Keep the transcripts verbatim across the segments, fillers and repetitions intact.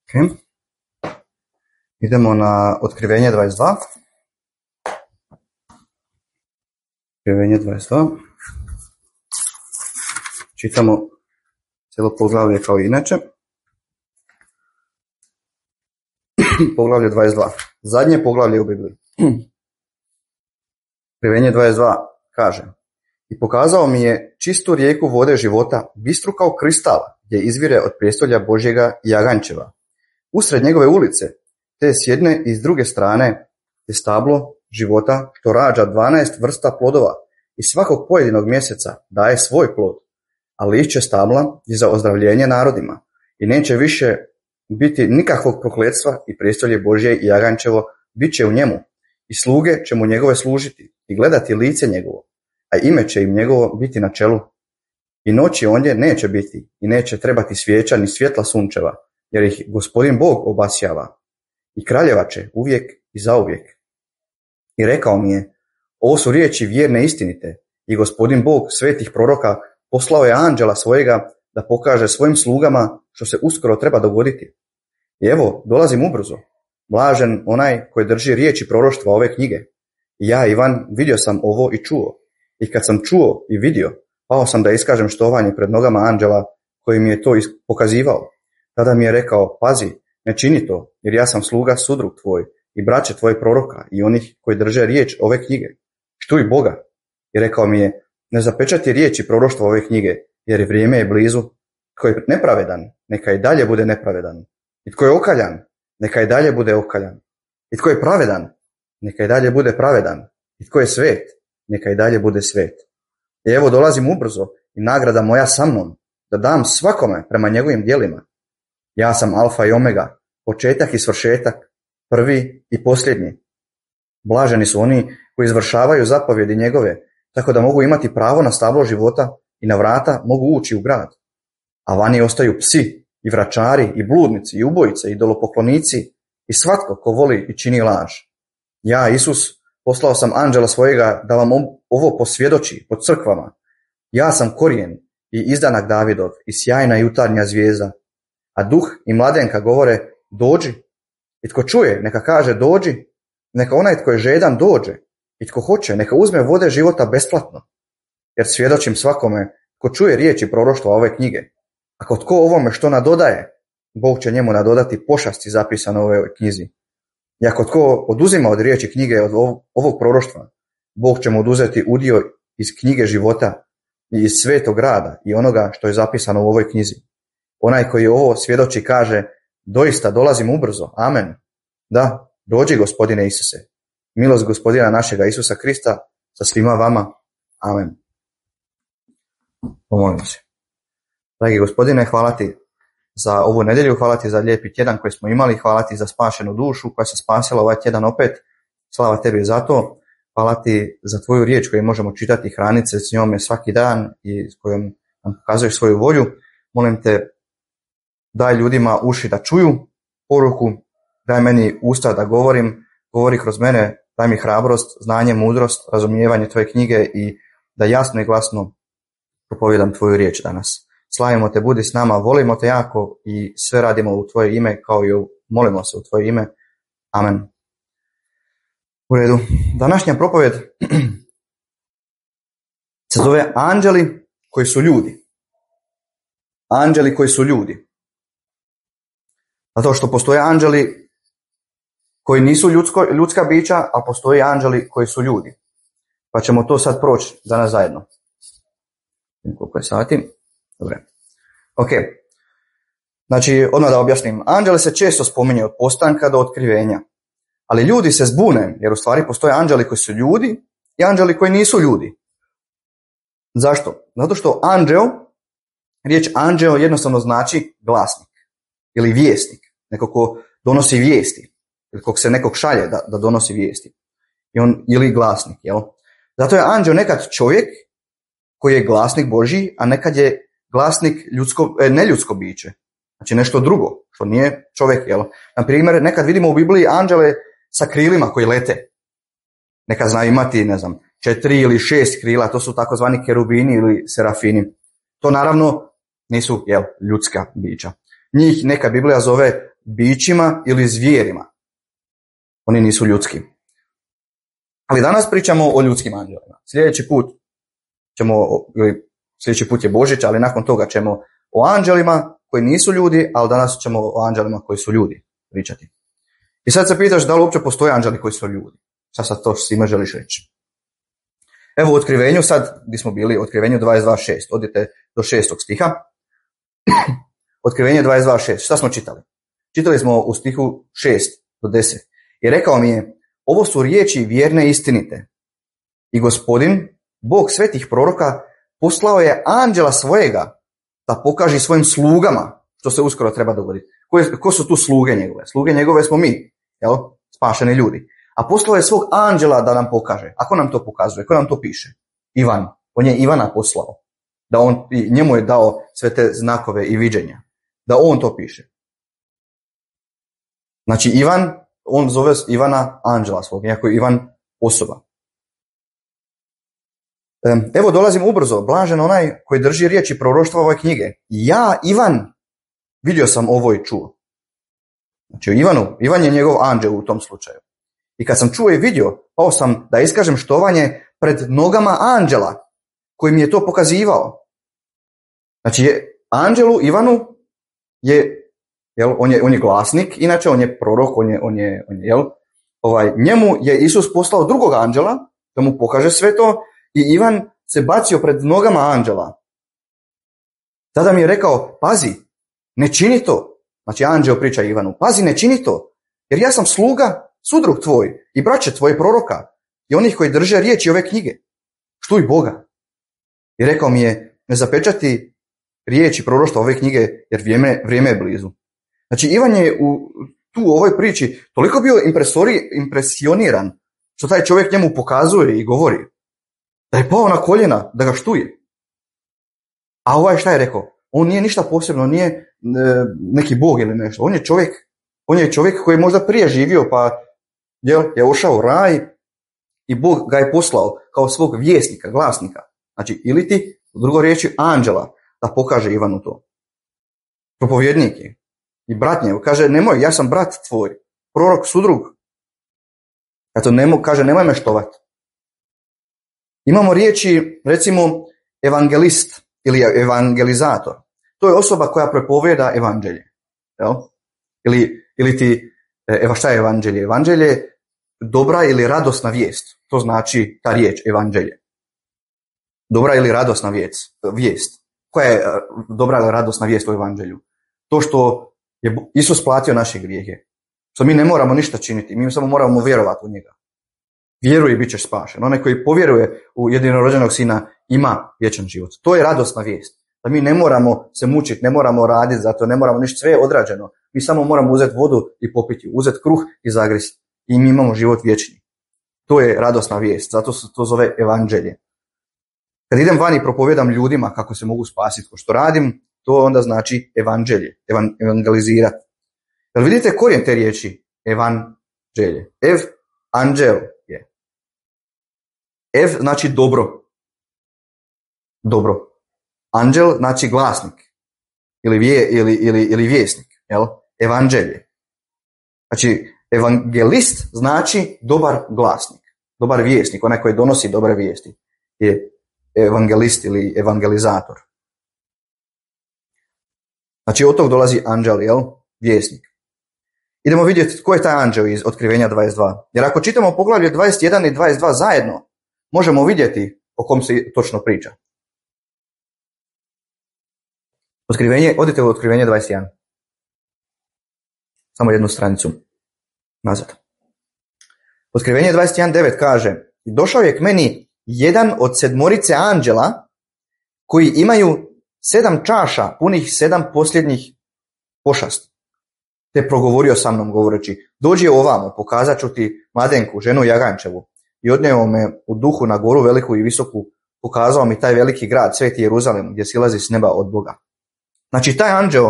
Okay. Idemo na Otkrivenje dvadeset dva. Otkrivenje dvadeset dva. Čitamo cijelo poglavlje kao i inače. Poglavlje dvadeset dva. Zadnje poglavlje u Bibliji. Otkrivenje dvadeset dva kaže: I pokazao mi je čistu rijeku vode života, bistru kao kristal, gdje izvire od prijestolja Božjega i Jagančeva. Usred njegove ulice, te s jedne i s druge strane, je stablo života što rađa dvanaest vrsta plodova i svakog pojedinog mjeseca daje svoj plod, a lišće stabla je za ozdravljenje narodima i neće više biti nikakvog prokletstva i prijestolje Božje i Jagančevo bit će u njemu i sluge će mu njegove služiti i gledati lice njegovo, a ime će im njegovo biti na čelu. I noći ondje neće biti i neće trebati svijeća ni svjetla sunčeva, jer ih Gospodin Bog obasjava. I kraljeva će uvijek i zauvijek. I rekao mi je: Ovo su riječi vjerne i istinite, i Gospodin Bog svetih proroka poslao je anđela svojega da pokaže svojim slugama što se uskoro treba dogoditi. I evo, dolazim ubrzo. Blažen onaj koji drži riječi proroštva ove knjige. I ja, Ivan, vidio sam ovo i čuo. I kad sam čuo i vidio, pao sam da iskažem štovanje pred nogama anđela koji mi je to pokazivao. Tada mi je rekao: Pazi, ne čini to, jer ja sam sluga sudrug tvoj i braće tvoje proroka i onih koji drže riječ ove knjige. Štuj Boga. I rekao mi je: Ne zapečati riječi proroštva ove knjige, jer vrijeme je blizu. Tko je nepravedan, neka i dalje bude nepravedan. I tko je okaljan, neka i dalje bude okaljan. I tko je pravedan, neka i dalje bude pravedan. I tko je svet, neka i dalje bude svet. I evo, dolazim ubrzo i nagrada moja sa mnom, da dam svakome prema njegovim djelima. Ja sam alfa i omega, početak i svršetak, prvi i posljednji. Blaženi su oni koji izvršavaju zapovjedi njegove, tako da mogu imati pravo na stablo života i na vrata mogu ući u grad. A vani ostaju psi i vračari i bludnici i ubojice i idolopoklonici i svatko ko voli i čini laž. Ja, Isus, poslao sam anđela svojega da vam ovo posvjedoči po crkvama. Ja sam korijen i izdanak Davidov i sjajna jutarnja zvijezda. A duh i mladenka govore: Dođi. I tko čuje, neka kaže: Dođi. Neka onaj tko je žedan dođe. I tko hoće, neka uzme vode života besplatno. Jer svjedočim svakome ko čuje riječi proroštva ove knjige. Ako tko ovome što nadodaje, Bog će njemu nadodati pošasti zapisane u ovoj knjizi. I ako tko oduzima od riječi knjige od ovog proroštva, Bog će mu oduzeti udio iz knjige života i iz svetog rada i onoga što je zapisano u ovoj knjizi. Onaj koji ovo svjedoči kaže: Doista dolazim ubrzo. Amen. Da, dođi Gospodine Isuse. Milost Gospodina našega Isusa Krista sa svima vama. Amen. Pomolimo se. Dragi Gospodine, hvala ti za ovu nedjelju, hvala ti za lijepi tjedan koji smo imali, hvala ti za spašenu dušu koja se spasila ovaj tjedan opet. Slava tebi za to. Hvala ti za tvoju riječ koju možemo čitati i hraniti se s njome svaki dan i s kojom nam pokazuješ svoju volju. Molim te, daj ljudima uši da čuju poruku, daj meni usta da govorim, govori kroz mene, daj mi hrabrost, znanje, mudrost, razumijevanje tvoje knjige i da jasno i glasno propovijedam tvoju riječ danas. Slavimo te, budi s nama, volimo te jako i sve radimo u tvoje ime kao i molimo se u tvoje ime. Amen. U redu. Današnja propovjed se zove Anđeli koji su ljudi. Anđeli koji su ljudi. Zato što postoje anđeli koji nisu ljudsko, ljudska bića, a postoje anđeli koji su ljudi. Pa ćemo to sad proći danas zajedno. Koliko je sati? Dobre. Ok. Znači, odmah da objasnim. Anđeli se često spominje od postanka do otkrivenja. Ali ljudi se zbune, jer u stvari postoje anđeli koji su ljudi i anđeli koji nisu ljudi. Zašto? Zato što anđeo, riječ anđeo jednostavno znači glasnik ili vjesnik. Neko ko donosi vijesti. Ili kog se nekog šalje da, da donosi vijesti. I on, ili glasnik, jel? Zato je anđeo nekad čovjek koji je glasnik Božji, a nekad je glasnik ljudsko, e, neljudsko biće. Znači nešto drugo, što nije čovjek, jel? Na primjer, nekad vidimo u Bibliji anđele sa krilima koji lete. Nekad znaju imati, ne znam, četiri ili šest krila, to su takozvani kerubini ili serafini. To naravno nisu, jel, ljudska bića. Njih neka Biblija zove bićima ili zvijerima. Oni nisu ljudski. Ali danas pričamo o ljudskim anđelima. Sljedeći put ćemo, ili sljedeći put je Božić, ali nakon toga ćemo o anđelima koji nisu ljudi, ali danas ćemo o anđelima koji su ljudi pričati. I sad se pitaš da li uopće postoje anđeli koji su ljudi. Šta sad to svima želiš reći? Evo u otkrivenju, sad gdje smo bili, u otkrivenju dvadeset dva šest, odite do šestog stiha. Otkrivenje dvadeset dva šest, šta smo čitali? Čitali smo u stihu šest do deset. I rekao mi je, ovo su riječi vjerne i istinite. I Gospodin, Bog svetih proroka, poslao je anđela svojega da pokaže svojim slugama, što se uskoro treba dogoditi. Ko, je, ko su tu sluge njegove? Sluge njegove smo mi, jel? Spašeni ljudi. A poslao je svog anđela da nam pokaže. A ko nam to pokazuje? Ko nam to piše? Ivan. On je Ivana poslao. Da on, njemu je dao sve te znakove i viđenja. Da on to piše. Znači Ivan, on zove Ivana anđela svog, iako je Ivan osoba. Evo dolazim ubrzo, blažen onaj koji drži riječi proroštva ove knjige. Ja, Ivan, vidio sam ovo i čuo. Znači Ivanu, Ivan je njegov anđel u tom slučaju. I kad sam čuo i vidio, pao sam da iskažem štovanje pred nogama anđela koji mi je to pokazivao. Znači je, anđelu Ivanu je, jel, on je, on je glasnik, inače on je prorok, on je, on je, on je jel, ovaj, njemu je Isus poslao drugog anđela da mu pokaže sve to i Ivan se bacio pred nogama anđela. Tada mi je rekao, pazi, ne čini to. Znači anđel priča Ivanu, pazi, ne čini to, jer ja sam sluga, sudrug tvoj i braće tvoje proroka i onih koji drže riječi ove knjige. Štuj Boga. I rekao mi je, ne zapečati riječi proroštva ove knjige, jer vrijeme, vrijeme je blizu. Znači Ivan je u, tu u ovoj priči toliko bio impresioniran što taj čovjek njemu pokazuje i govori da je pao na koljena, da ga štuje. A ovaj šta je rekao? On nije ništa posebno, nije e, neki bog ili nešto. On je čovjek, on je čovjek koji je možda prije živio pa je, je ušao u raj i Bog ga je poslao kao svog vjesnika, glasnika. Znači ili ti, u drugoj riječi, anđela da pokaže Ivanu to. Propovjednik je. I brat njegov kaže, nemoj, ja sam brat tvoj, prorok, sudrug. Eto, nemo, kaže, nemoj me štovati. Imamo riječi, recimo, evangelist ili evangelizator. To je osoba koja propovjeda evanđelje. Jel? Ili, ili ti, evo šta je evanđelje? Evanđelje je dobra ili radosna vijest. To znači ta riječ, evanđelje. Dobra ili radosna vijest. vijest. Koja je dobra ili radosna vijest u evanđelju? To što je Isus platio naše grijehe. Što mi ne moramo ništa činiti, mi samo moramo vjerovati u njega. Vjeruje i bit ćeš spašen. Onaj koji povjeruje u jedinorođenog sina ima vječan život. To je radosna vijest. Da mi ne moramo se mučiti, ne moramo raditi za to, ne moramo ništa, sve je odrađeno. Mi samo moramo uzeti vodu i popiti, uzeti kruh i zagrist. I mi imamo život vječni. To je radosna vijest, zato se to zove evanđelje. Kad idem van i propovjedam ljudima kako se mogu spasiti, ko što radim, to onda znači evanđelje, evan, evangelizirati. Jel vidite korijen te riječi? Evanđelje. Ev, anđel je. Ev znači dobro. Dobro. Anđel znači glasnik. Ili, vje, ili, ili, ili vjesnik. Jel? Evanđelje. Znači, evangelist znači dobar glasnik. Dobar vjesnik, onaj koji donosi dobre vijesti. Je evangelist ili evangelizator. Znači od tog dolazi anđel, jel? Vjesnik. Idemo vidjeti tko je taj anđel iz Otkrivenja dvadeset dva. Jer ako čitamo poglavlje dvadeset jedan i dvadeset dva zajedno, možemo vidjeti o kom se točno priča. Otkrivenje, odite u Otkrivenje dvadeset jedan. Samo jednu stranicu nazad. Otkrivenje dvadeset jedan devet kaže: došao je k meni jedan od sedmorice anđela koji imaju sedam čaša punih sedam posljednjih pošasti. Te progovorio sa mnom govoreći: dođi ovamo, pokazat ću ti mladenku, ženu Jagančevu. I odnio me u duhu na goru veliku i visoku, pokazao mi taj veliki grad, sveti Jeruzalem, gdje silazi s neba od Boga. Znači taj anđel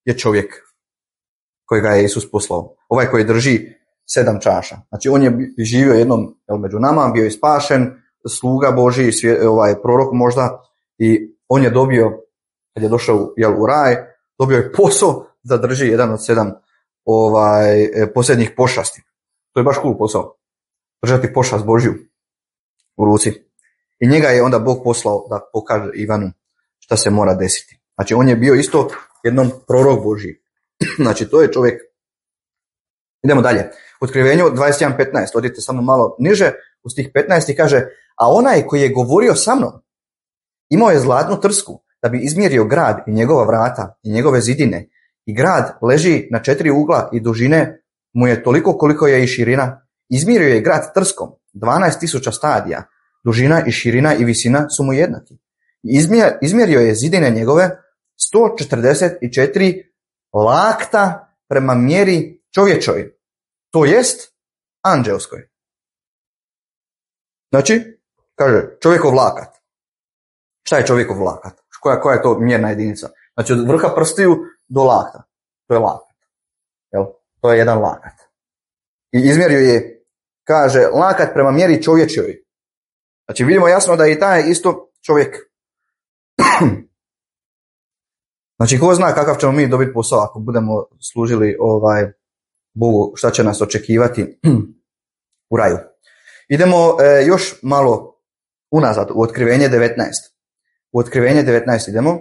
je čovjek kojega je Isus poslao. Ovaj koji drži sedam čaša. Znači on je živio jednom jel, među nama, bio je spašen, sluga Božji, svje, ovaj, prorok možda, i on je dobio, kad je došao jel, u raj, dobio je posao da drži jedan od sedam ovaj, posljednjih pošasti. To je baš cool posao. Držati pošast Božju u ruci. I njega je onda Bog poslao da pokaže Ivanu šta se mora desiti. Znači on je bio isto jednom prorok Božji. Znači to je čovjek. Idemo dalje. U Otkrivenju dvadeset jedan petnaest, odite samo malo niže, u stih petnaest i kaže, a onaj koji je govorio sa mnom, imao je zlatnu trsku da bi izmjerio grad i njegova vrata i njegove zidine. I grad leži na četiri ugla i dužine mu je toliko koliko je i širina. Izmjerio je grad trskom, dvanaest tisuća stadija, dužina i širina i visina su mu jednaki. Izmjerio je zidine njegove sto četrdeset četiri lakta prema mjeri čovječoj, to jest anđelskoj. Znači, kaže čovjekov lakat. Šta je čovjekov lakat? Koja, koja je to mjerna jedinica? Znači od vrha prstiju do lakta. To je lakat. Jel? To je jedan lakat. I izmjerio je, kaže, lakat prema mjeri čovječoj. Znači vidimo jasno da je i taj isto čovjek. Znači ko zna kakav ćemo mi dobiti posao ako budemo služili ovaj Bogu, šta će nas očekivati u raju. Idemo e, još malo unazad u Otkrivenje devetnaest. U Otkrivenje devetnaest idemo.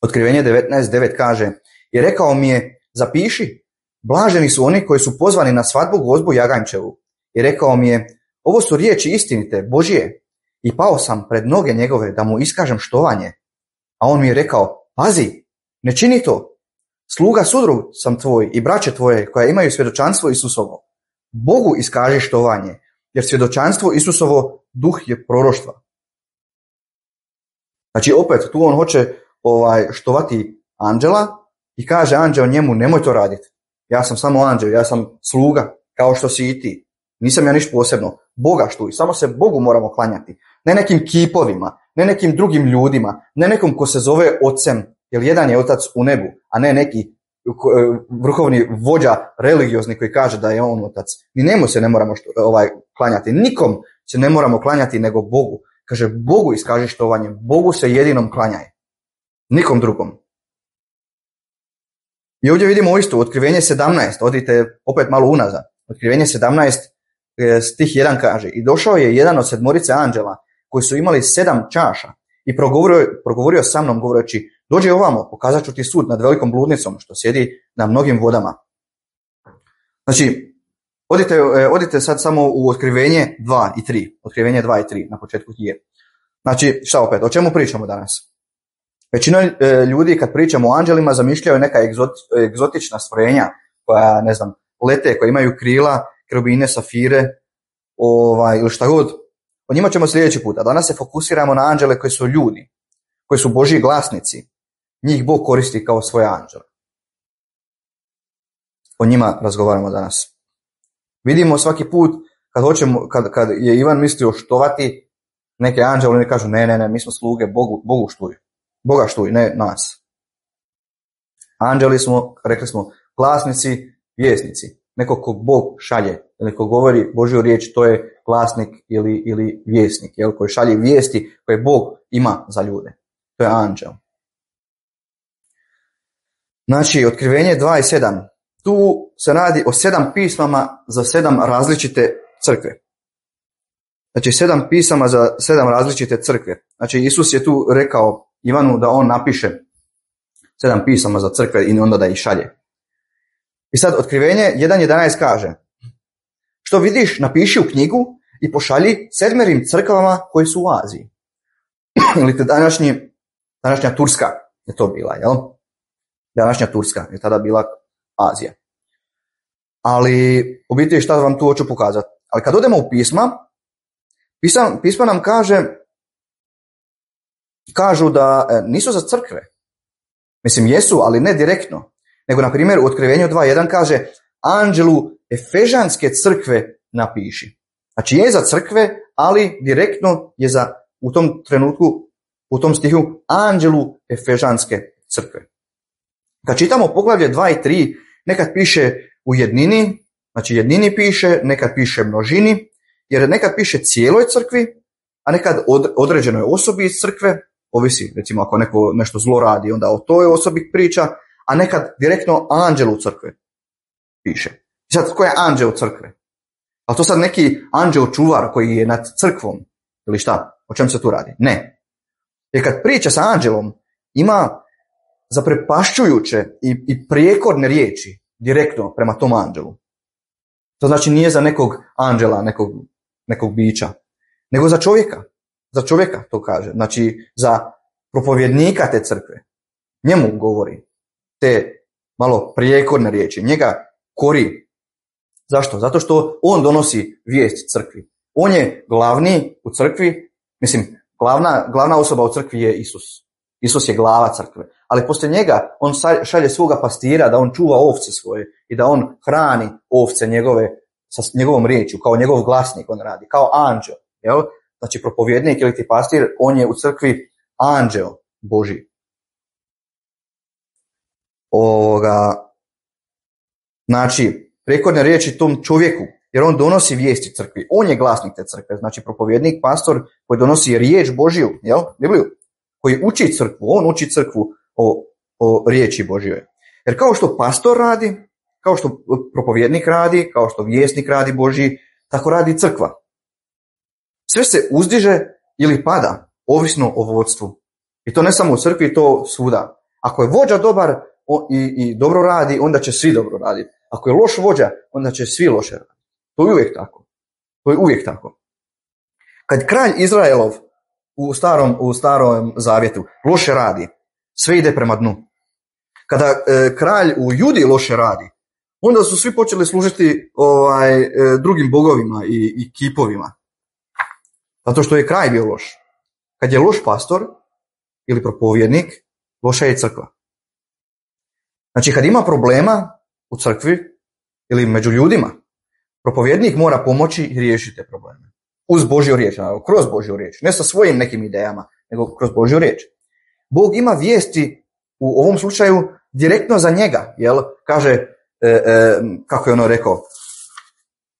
Otkrivenje devetnaest devet kaže, i rekao mi je, zapiši, blaženi su oni koji su pozvani na svadbu gozbu Jagančevu. I rekao mi je, ovo su riječi istinite, Božije. I pao sam pred noge njegove da mu iskažem štovanje. A on mi je rekao, pazi, ne čini to. Sluga sudrug sam tvoj i braće tvoje koja imaju svjedočanstvo Isusovo. Bogu iskaži štovanje, jer svjedočanstvo Isusovo duh je proroštva. Znači opet tu on hoće ovaj, štovati anđela i kaže anđel njemu nemoj to raditi. Ja sam samo anđel, ja sam sluga kao što si i ti. Nisam ja ništa posebno. Boga štuj, samo se Bogu moramo klanjati. Ne nekim kipovima, ne nekim drugim ljudima, ne nekom ko se zove ocem, jer jedan je otac u nebu, a ne neki vrhovni vođa religiozni koji kaže da je on otac. Ni njemu se ne moramo što, ovaj, klanjati. Nikom se ne moramo klanjati nego Bogu. Kaže, Bogu iskaži štovanje. Bogu se jedinom klanjaj. Nikom drugom. I ovdje vidimo isto, Otkrivenje sedamnaest, odite opet malo unazad. Otkrivenje sedamnaest, stih jedan kaže, i došao je jedan od sedmorice anđela koji su imali sedam čaša i progovorio, progovorio sa mnom govoreći, dođi ovamo, pokazat ću ti sud nad velikom bludnicom što sjedi na mnogim vodama. Znači, odite, odite sad samo u Otkrivenje dva i tri. Otkrivenje dva i tri na početku knjige. Znači, šta opet, o čemu pričamo danas? Većina ljudi kad pričamo o anđelima zamišljaju neka egzotična stvorenja koja, ne znam, lete, koja imaju krila, kerubine, safire, ovaj, ili šta god. O njima ćemo sljedeći put. A danas se fokusiramo na anđele koji su ljudi, koji su Božji glasnici. Njih Bog koristi kao svoje anđele. O njima razgovaramo danas. Vidimo svaki put kad, hoćemo, kad, kad je Ivan mislio štovati neke anđele, oni kažu ne, ne, ne, mi smo sluge, Bogu, Bogu štuj. Boga štuj, ne nas. Anđeli smo, rekli smo, glasnici, vjesnici. Neko ko Bog šalje, ili ko govori Božju riječ, to je glasnik ili, ili vjesnik, jel, koji šalje vijesti koje Bog ima za ljude. To je anđel. Znači, Otkrivenje dva i sedam. Tu se radi o sedam pismama za sedam različite crkve. Znači, sedam pisama za sedam različite crkve. Znači, Isus je tu rekao Ivanu da on napiše sedam pisama za crkve i onda da ih šalje. I sad Otkrivenje jedan jedanaest kaže, što vidiš, napiši u knjigu i pošalji sedmerim crkvama koji su u Aziji. Ili te današnji, današnja Turska je to bila, jel? Današnja Turska je tada bila Azija. Ali u biti šta vam tu hoću pokazati? Ali kad odemo u pisma, pisma, pisma nam kaže, kažu da nisu za crkve. Mislim, jesu, ali ne direktno. Nego, na primjer, u Otkrivenju dva jedan kaže, anđelu Efežanske crkve napiši. Znači, je za crkve, ali direktno je za, u tom trenutku, u tom stihu, anđelu Efežanske crkve. Kad čitamo poglavlje dva i tri, nekad piše u jednini, znači jednini piše, nekad piše množini, jer nekad piše cijeloj crkvi, a nekad od, određenoj osobi iz crkve, ovisi, recimo ako neko nešto zlo radi, onda o toj osobi priča, a nekad direktno anđelu crkve. piše. I sad, ko je anđeo crkve? Ali to sad neki anđeo čuvar koji je nad crkvom ili šta? O čem se tu radi? Ne. Jer kad priča sa anđelom, ima zaprepašćujuće i, i prijekorne riječi direktno prema tom anđelu. To znači nije za nekog anđela, nekog, nekog bića, nego za čovjeka. Za čovjeka to kaže. Znači za propovjednika te crkve. Njemu govori te malo prijekorne riječi. Njega kori. Zašto? Zato što on donosi vijest crkvi. On je glavni u crkvi, mislim, glavna, glavna osoba u crkvi je Isus. Isus je glava crkve. Ali poslije njega on šalje svoga pastira da on čuva ovce svoje i da on hrani ovce njegove sa njegovom riječju, kao njegov glasnik on radi, kao anđeo. Jel? Znači propovjednik ili ti pastir, on je u crkvi anđeo Božji. Ovoga, znači, prijekorne riječi tom čovjeku, jer on donosi vijesti crkvi. On je glasnik te crkve, znači propovjednik, pastor koji donosi riječ Božju, jel? Bibliju, koji uči crkvu, on uči crkvu o, o riječi Božjoj. Jer kao što pastor radi, kao što propovjednik radi, kao što vjesnik radi Božji, tako radi crkva. Sve se uzdiže ili pada, ovisno o vodstvu. I to ne samo u crkvi, to svuda. Ako je vođa dobar i, i dobro radi, onda će svi dobro raditi. Ako je loš vođa, onda će svi loše raditi. To je uvijek tako. To je uvijek tako. Kad kralj Izraelov u starom, u starom zavjetu loše radi, sve ide prema dnu. Kada e, kralj u Judi loše radi, onda su svi počeli služiti ovaj, e, drugim bogovima i, i kipovima. Zato što je kraj bio loš. Kad je loš pastor ili propovjednik, loša je crkva. Znači kad ima problema u crkvi ili među ljudima, propovjednik mora pomoći i riješiti te probleme. Uz Božju riječ, kroz Božju riječ. Ne sa svojim nekim idejama, nego kroz Božju riječ. Bog ima vijesti u ovom slučaju direktno za njega. Jel? Kaže, e, e, kako je ono rekao,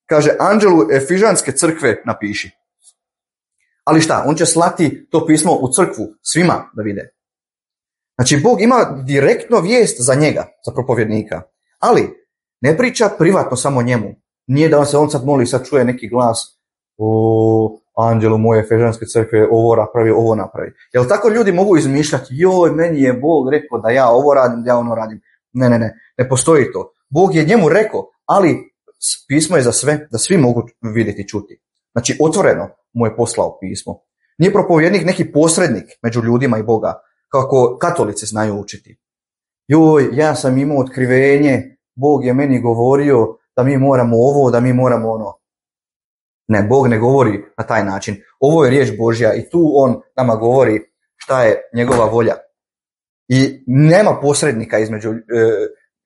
kaže anđelu Efižanske crkve napiši. Ali šta, on će slati to pismo u crkvu svima da vide. Znači, Bog ima direktno vijest za njega, za propovjednika. Ali ne priča privatno samo njemu. Nije da on se on sad moli, sad čuje neki glas, o, anđelu moje Efežanske crkve, ovo napravi, ovo napravi. Jel tako ljudi mogu izmišljati, joj, meni je Bog rekao da ja ovo radim, da ja ono radim. Ne, ne, ne, ne postoji to. Bog je njemu rekao, ali pismo je za sve, da svi mogu vidjeti i čuti. Znači, otvoreno mu je poslao pismo. Nije propovjednik neki posrednik među ljudima i Boga, kako katolici znaju učiti. Joj, ja sam imao otkrivenje, Bog je meni govorio da mi moramo ovo, da mi moramo ono. Ne, Bog ne govori na taj način. Ovo je riječ Božja i tu on nama govori šta je njegova volja. I nema posrednika između,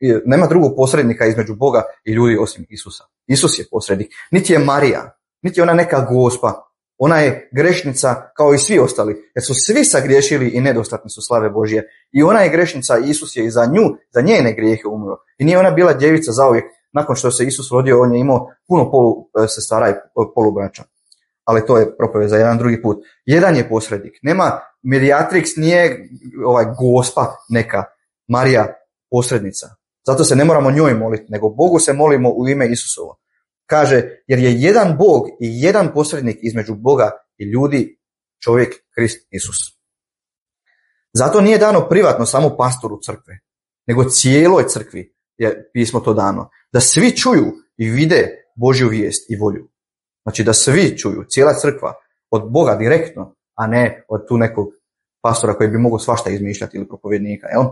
e, nema drugog posrednika između Boga i ljudi osim Isusa. Isus je posrednik. Niti je Marija, niti je ona neka gospa. Ona je grešnica kao i svi ostali, jer su svi sagriješili i nedostatni su slave Božje. I ona je grešnica i Isus je i za nju, za njene grijehe umro. I nije ona bila djevica zauvijek. Nakon što se Isus rodio, on je imao puno polu sestara i polubraća. Ali to je propovijed za jedan drugi put. Jedan je posrednik. Nema mediatrix, nije ovaj gospa neka, Marija posrednica. Zato se ne moramo njoj moliti, nego Bogu se molimo u ime Isusovo. Kaže, jer je jedan Bog i jedan posrednik između Boga i ljudi, čovjek Krist Isus. Zato nije dano privatno samo pastoru crkve, nego cijeloj crkvi je pismo to dano. Da svi čuju i vide Božju vijest i volju. Znači da svi čuju, cijela crkva, od Boga direktno, a ne od tu nekog pastora koji bi mogao svašta izmišljati ili propovjednika. Jel?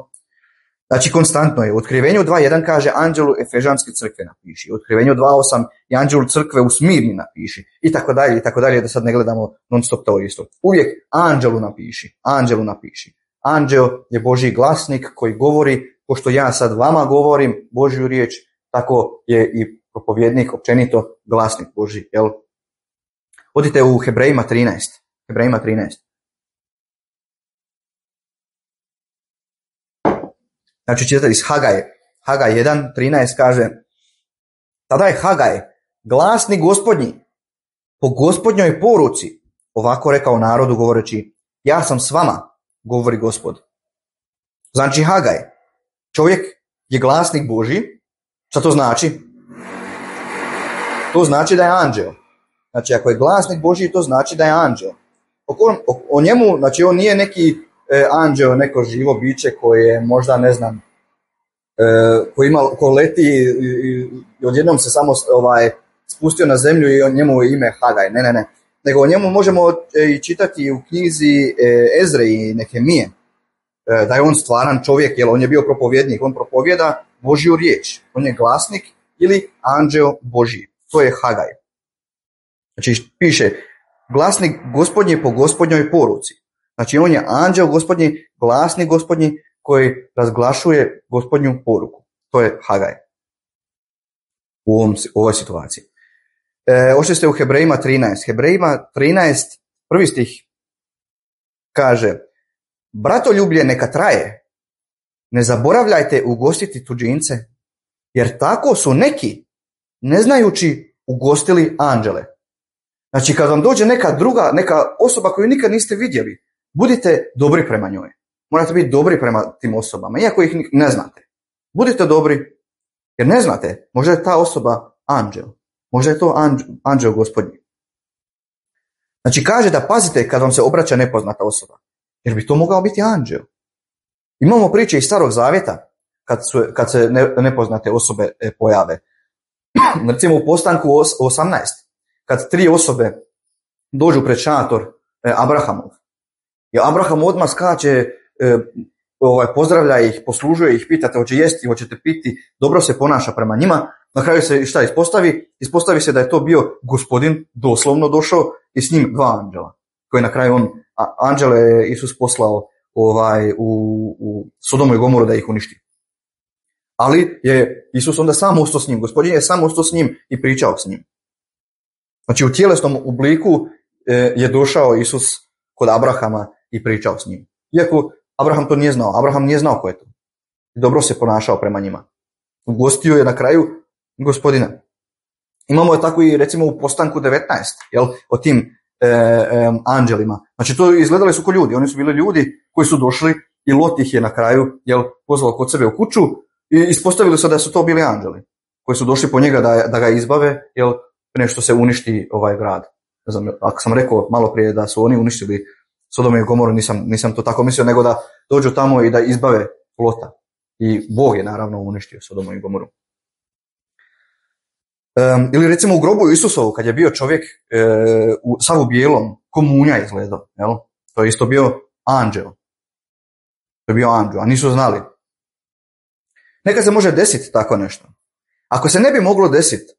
Znači konstantno je. U Otkrivenju dva jedan kaže anđelu Efežanske crkve napiši. U Otkrivenju dva osam i anđelu crkve u Smirni napiši. I tako dalje, i tako dalje, da sad ne gledamo non stop to isto. Uvijek anđelu napiši. Anđelu napiši. Anđeo je Božji glasnik koji govori, pošto ja sad vama govorim Božju riječ, tako je i propovjednik općenito glasnik Božji. Jel? Odite u Hebrejima trinaest. Hebrejima trinaest. Znači čitati iz Hagaje. Hagaj jedan trinaest kaže, tada je Hagaj, glasnik gospodnji, po gospodnjoj poruci, ovako rekao narodu govoreći, ja sam s vama, govori Gospod. Znači Hagaj, čovjek je glasnik Božji, Šta to znači? To znači da je anđeo. Znači, ako je glasnik Božji, to znači da je anđeo. O, o, o njemu, znači, on nije neki e, anđeo, neko živo biće koje možda, ne znam, e, ko, ima, ko leti i, i, i odjednom se samo ovaj, spustio na zemlju i on njemu je ime Hagaj. Ne, ne, ne. Nego o njemu možemo e, i čitati u knjizi e, Ezre i Nehemije. E, da je on stvaran čovjek, jer on je bio propovjednik. On propovjeda Božju riječ. On je glasnik ili anđeo Božji. To je Hagaj. Znači piše glasnik Gospodnji po Gospodnjoj poruci. Znači on je anđeo Gospodnji, glasnik Gospodnji koji razglašuje Gospodnju poruku. To je Hagaj u ovom, ovoj situaciji. E, ošli ste u Hebrejima trinaest. Hebrejima trinaest, prvi stih kaže: Bratoljublje neka traje, ne zaboravljajte ugostiti tuđince, jer tako su neki, ne znajući, ugostili anđele. Znači, kad vam dođe neka druga, neka osoba koju nikad niste vidjeli, budite dobri prema njoj. Morate biti dobri prema tim osobama, iako ih ne znate. Budite dobri, jer ne znate, možda je ta osoba anđel. Možda je to anđel, anđel Gospodnji. Znači, kaže da pazite kad vam se obraća nepoznata osoba, jer bi to mogao biti anđel. Imamo priče iz Starog Zavjeta, kad, su, kad se ne, nepoznate osobe e, pojave. Recimo u Postanku osamnaest, kad tri osobe dođu pred šator e, Abrahamov. I Abraham odmah skače, e, ovaj, pozdravlja ih, poslužuje ih, pitate hoće jesti, hoćete piti, dobro se ponaša prema njima. Na kraju se šta ispostavi? Ispostavi se da je to bio Gospodin, doslovno došao, i s njim dva anđela. Koji na kraju on, a, anđele je Isus poslao ovaj, u, u Sodomu i Gomoru da ih uništi. Ali je Isus onda sam ostao s njim. Gospodin je sam ostao s njim i pričao s njim. Znači u tjelesnom obliku e, je došao Isus kod Abrahama i pričao s njim. Iako Abraham to nije znao. Abraham nije znao ko je to. Dobro se ponašao prema njima. Ugostio je na kraju Gospodina. Imamo je tako i recimo u Postanku devetnaest, jel, o tim e, e, anđelima. Znači to izgledali su ko ljudi. Oni su bili ljudi koji su došli i Lot ih je na kraju, jel, pozvao kod sebe u kuću i ispostavili se da su to bili anđeli koji su došli po njega da, da ga izbave, jel, prije što se uništi ovaj grad. Ne znam, ako sam rekao malo prije da su oni uništili Sodom i Gomoru, nisam, nisam to tako mislio, nego da dođu tamo i da izbave Lota. I Bog je naravno uništio Sodomu i Gomoru. Um, ili recimo u grobu Isusovu, kad je bio čovjek e, u, sav u bijelom, ko munja izgledao, jel? To je isto bio anđel. To je bio anđel, a nisu znali. Nekad se može desiti tako nešto. Ako se ne bi moglo desiti,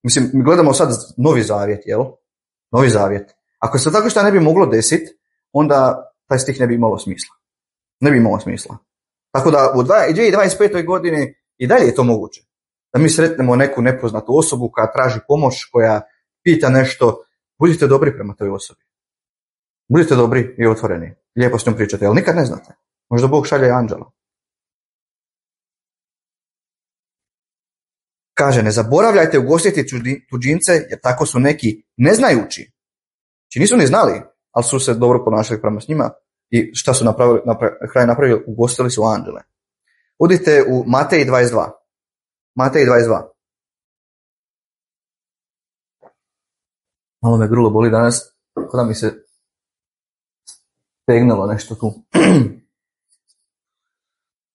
mislim, mi gledamo sad Novi Zavjet, jel? Novi Zavjet. Ako se tako što ne bi moglo desiti, onda taj stih ne bi imalo smisla. Ne bi imalo smisla. Tako da u dvije tisuće dvadeset petoj godini i dalje je to moguće. Da mi sretnemo neku nepoznatu osobu koja traži pomoć, koja pita nešto, budite dobri prema toj osobi. Budite dobri i otvoreni. Lijepo s njom pričate, ali nikad ne znate. Možda Bog šalje anđela. Kaže, ne zaboravljajte ugostiti tuđince, jer tako su neki neznajući. Znači nisu ni znali, ali su se dobro ponašali prema s njima i šta su napravili, na kraju napravili, ugostili su anđele. Udite u Matej dvadeset dva. Matej dvadeset dva. Malo me grlo boli danas, kada mi se stegnalo nešto tu.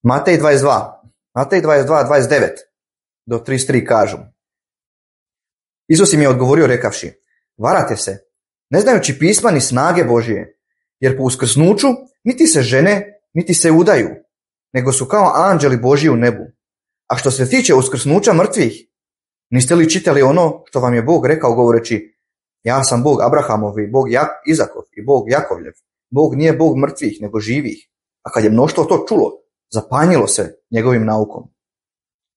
Matej dvadeset dva. Matej dvadeset dva, dvadeset devet do trideset tri kažu. Isus im je odgovorio rekavši, varate se, ne znajući pisma ni snage Božije, jer po uskrsnuću niti se žene, niti se udaju, nego su kao anđeli Božji u nebu. A što se tiče uskrsnuća mrtvih, niste li čitali ono što vam je Bog rekao govoreći, ja sam Bog Abrahamov i Bog Izakov i Bog Jakovljev. Bog nije Bog mrtvih, nego živih. A kad je mnoštvo to čulo, zapanjilo se njegovim naukom.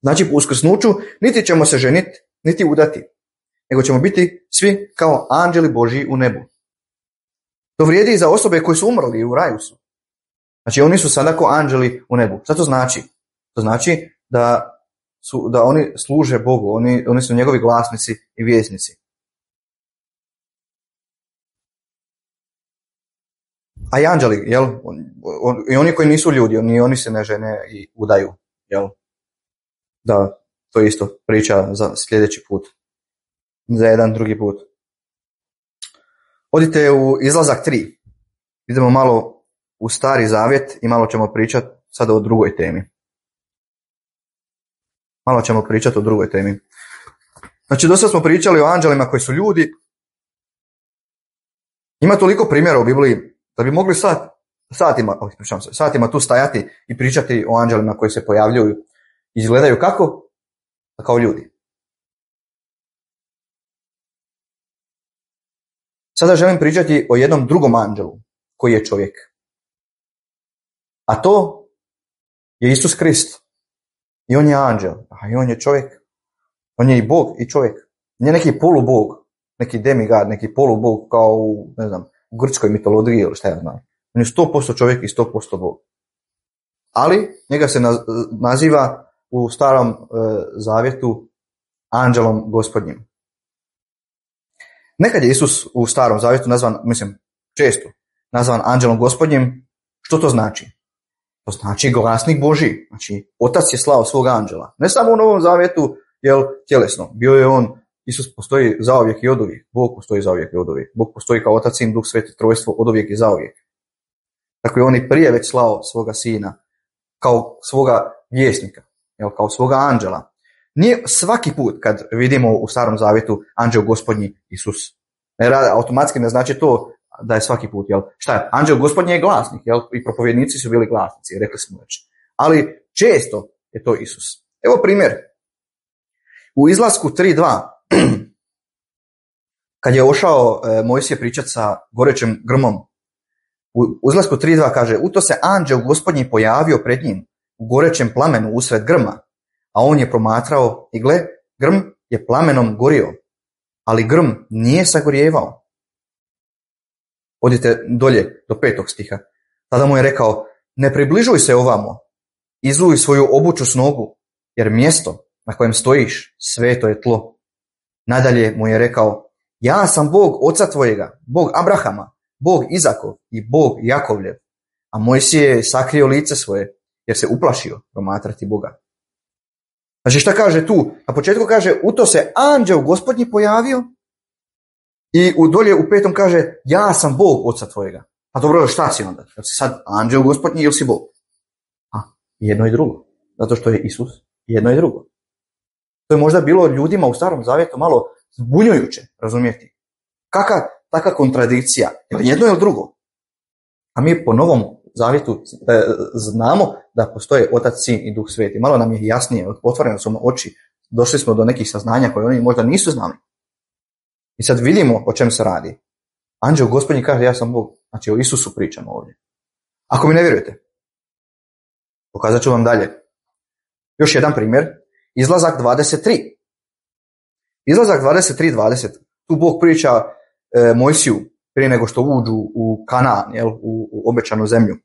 Znači, po uskrsnuću niti ćemo se ženiti, niti udati, nego ćemo biti svi kao anđeli Božji u nebu. To vrijedi i za osobe koji su umrli i u raju su. Znači, oni su sada kao anđeli u nebu. Šta to znači? To znači da, su, da oni služe Bogu, oni, oni su njegovi glasnici i vjesnici. A i anđeli, jel? On, on, i oni koji nisu ljudi, oni, oni se ne žene i udaju, jel? Da, to je isto priča za sljedeći put, za jedan drugi put. Odite u Izlazak tri. Idemo malo u Stari Zavjet i malo ćemo pričati sada o drugoj temi. Malo ćemo pričati o drugoj temi. Znači, dosta smo pričali o anđelima koji su ljudi. Ima toliko primjera u Bibliji da bi mogli sat, satima, oh, pričam se, satima tu stajati i pričati o anđelima koji se pojavljuju i izgledaju kako? Kao ljudi. Sada želim pričati o jednom drugom anđelu koji je čovjek. A to je Isus Krist. I on je anđel, a i on je čovjek. On je i Bog i čovjek. Nije neki polubog, neki demigod, neki polubog kao u, ne znam, u grčkoj mitologiji ili šta ja znam. On je sto posto čovjek i sto posto Bog. Ali njega se naziva u Starom e, Zavjetu anđelom Gospodnjim. Nekad je Isus u Starom Zavjetu nazvan, mislim, često nazvan anđelom Gospodnjim. Što to znači? To znači glasnik Božji. Znači, Otac je slao svog anđela. Ne samo u Novom Zavjetu, jel, tjelesno. Bio je on, Isus postoji zauvijek i oduvijek. Bog postoji zauvijek i oduvijek. Bog postoji kao Otac, Sin, Duh Sveti, trojstvo, oduvijek i zauvijek. Tako je on i prije već slao svoga sina kao svoga vjesnika, jel, kao svoga anđela. Nije svaki put kad vidimo u Starom Zavjetu anđel Gospodnji Isus. Ne, automatski ne znači to da je svaki put, jel? Šta je? Anđel Gospodnji je glasnik, jel? I propovjednici su bili glasnici, rekli smo već. Ali često je to Isus. Evo primjer. U Izlasku tri dva, kad je ošao e, Mojsije pričati sa gorećim grmom, u Izlasku tri dva kaže, u to se anđel Gospodnji pojavio pred njim u gorećem plamenu usred grma, a on je promatrao i gle, grm je plamenom gorio, ali grm nije sagorjevao. Odite dolje do petog stiha. Tada mu je rekao, ne približuj se ovamo, izuj svoju obuću s nogu, jer mjesto na kojem stojiš sveto je tlo. Nadalje mu je rekao, ja sam Bog oca tvojega, Bog Abrahama, Bog Izakov i Bog Jakovljev. A Mojsije je sakrio lice svoje, jer se uplašio promatrati Boga. Znači šta kaže tu? Na početku kaže, u to se anđel Gospodnji pojavio i u dolje u petom kaže, ja sam Bog oca tvojega. A dobro, šta si onda? Jel si sad anđel Gospodnji ili si Bog? A, jedno i drugo. Zato što je Isus jedno i drugo. To je možda bilo ljudima u Starom Zavjetu malo zbunjujuće, razumijeti. Kakva taka kontradikcija? Jel jedno ili drugo? A mi po Novom Zavjetu e, znamo da postoje Otac, Sin i Duh Sveti. Malo nam je jasnije, otvorene su oči, došli smo do nekih saznanja koje oni možda nisu znali. I sad vidimo o čem se radi. Anđel Gospodnji kaže, ja sam Bog. Znači o Isusu pričamo ovdje. Ako mi ne vjerujete, pokazat ću vam dalje. Još jedan primjer. Izlazak dvadeset tri. Izlazak dvadeset tri dvadeset. Tu Bog priča e, Mojsiju prije nego što uđu u Kanaan, jel, u, u obećanu zemlju.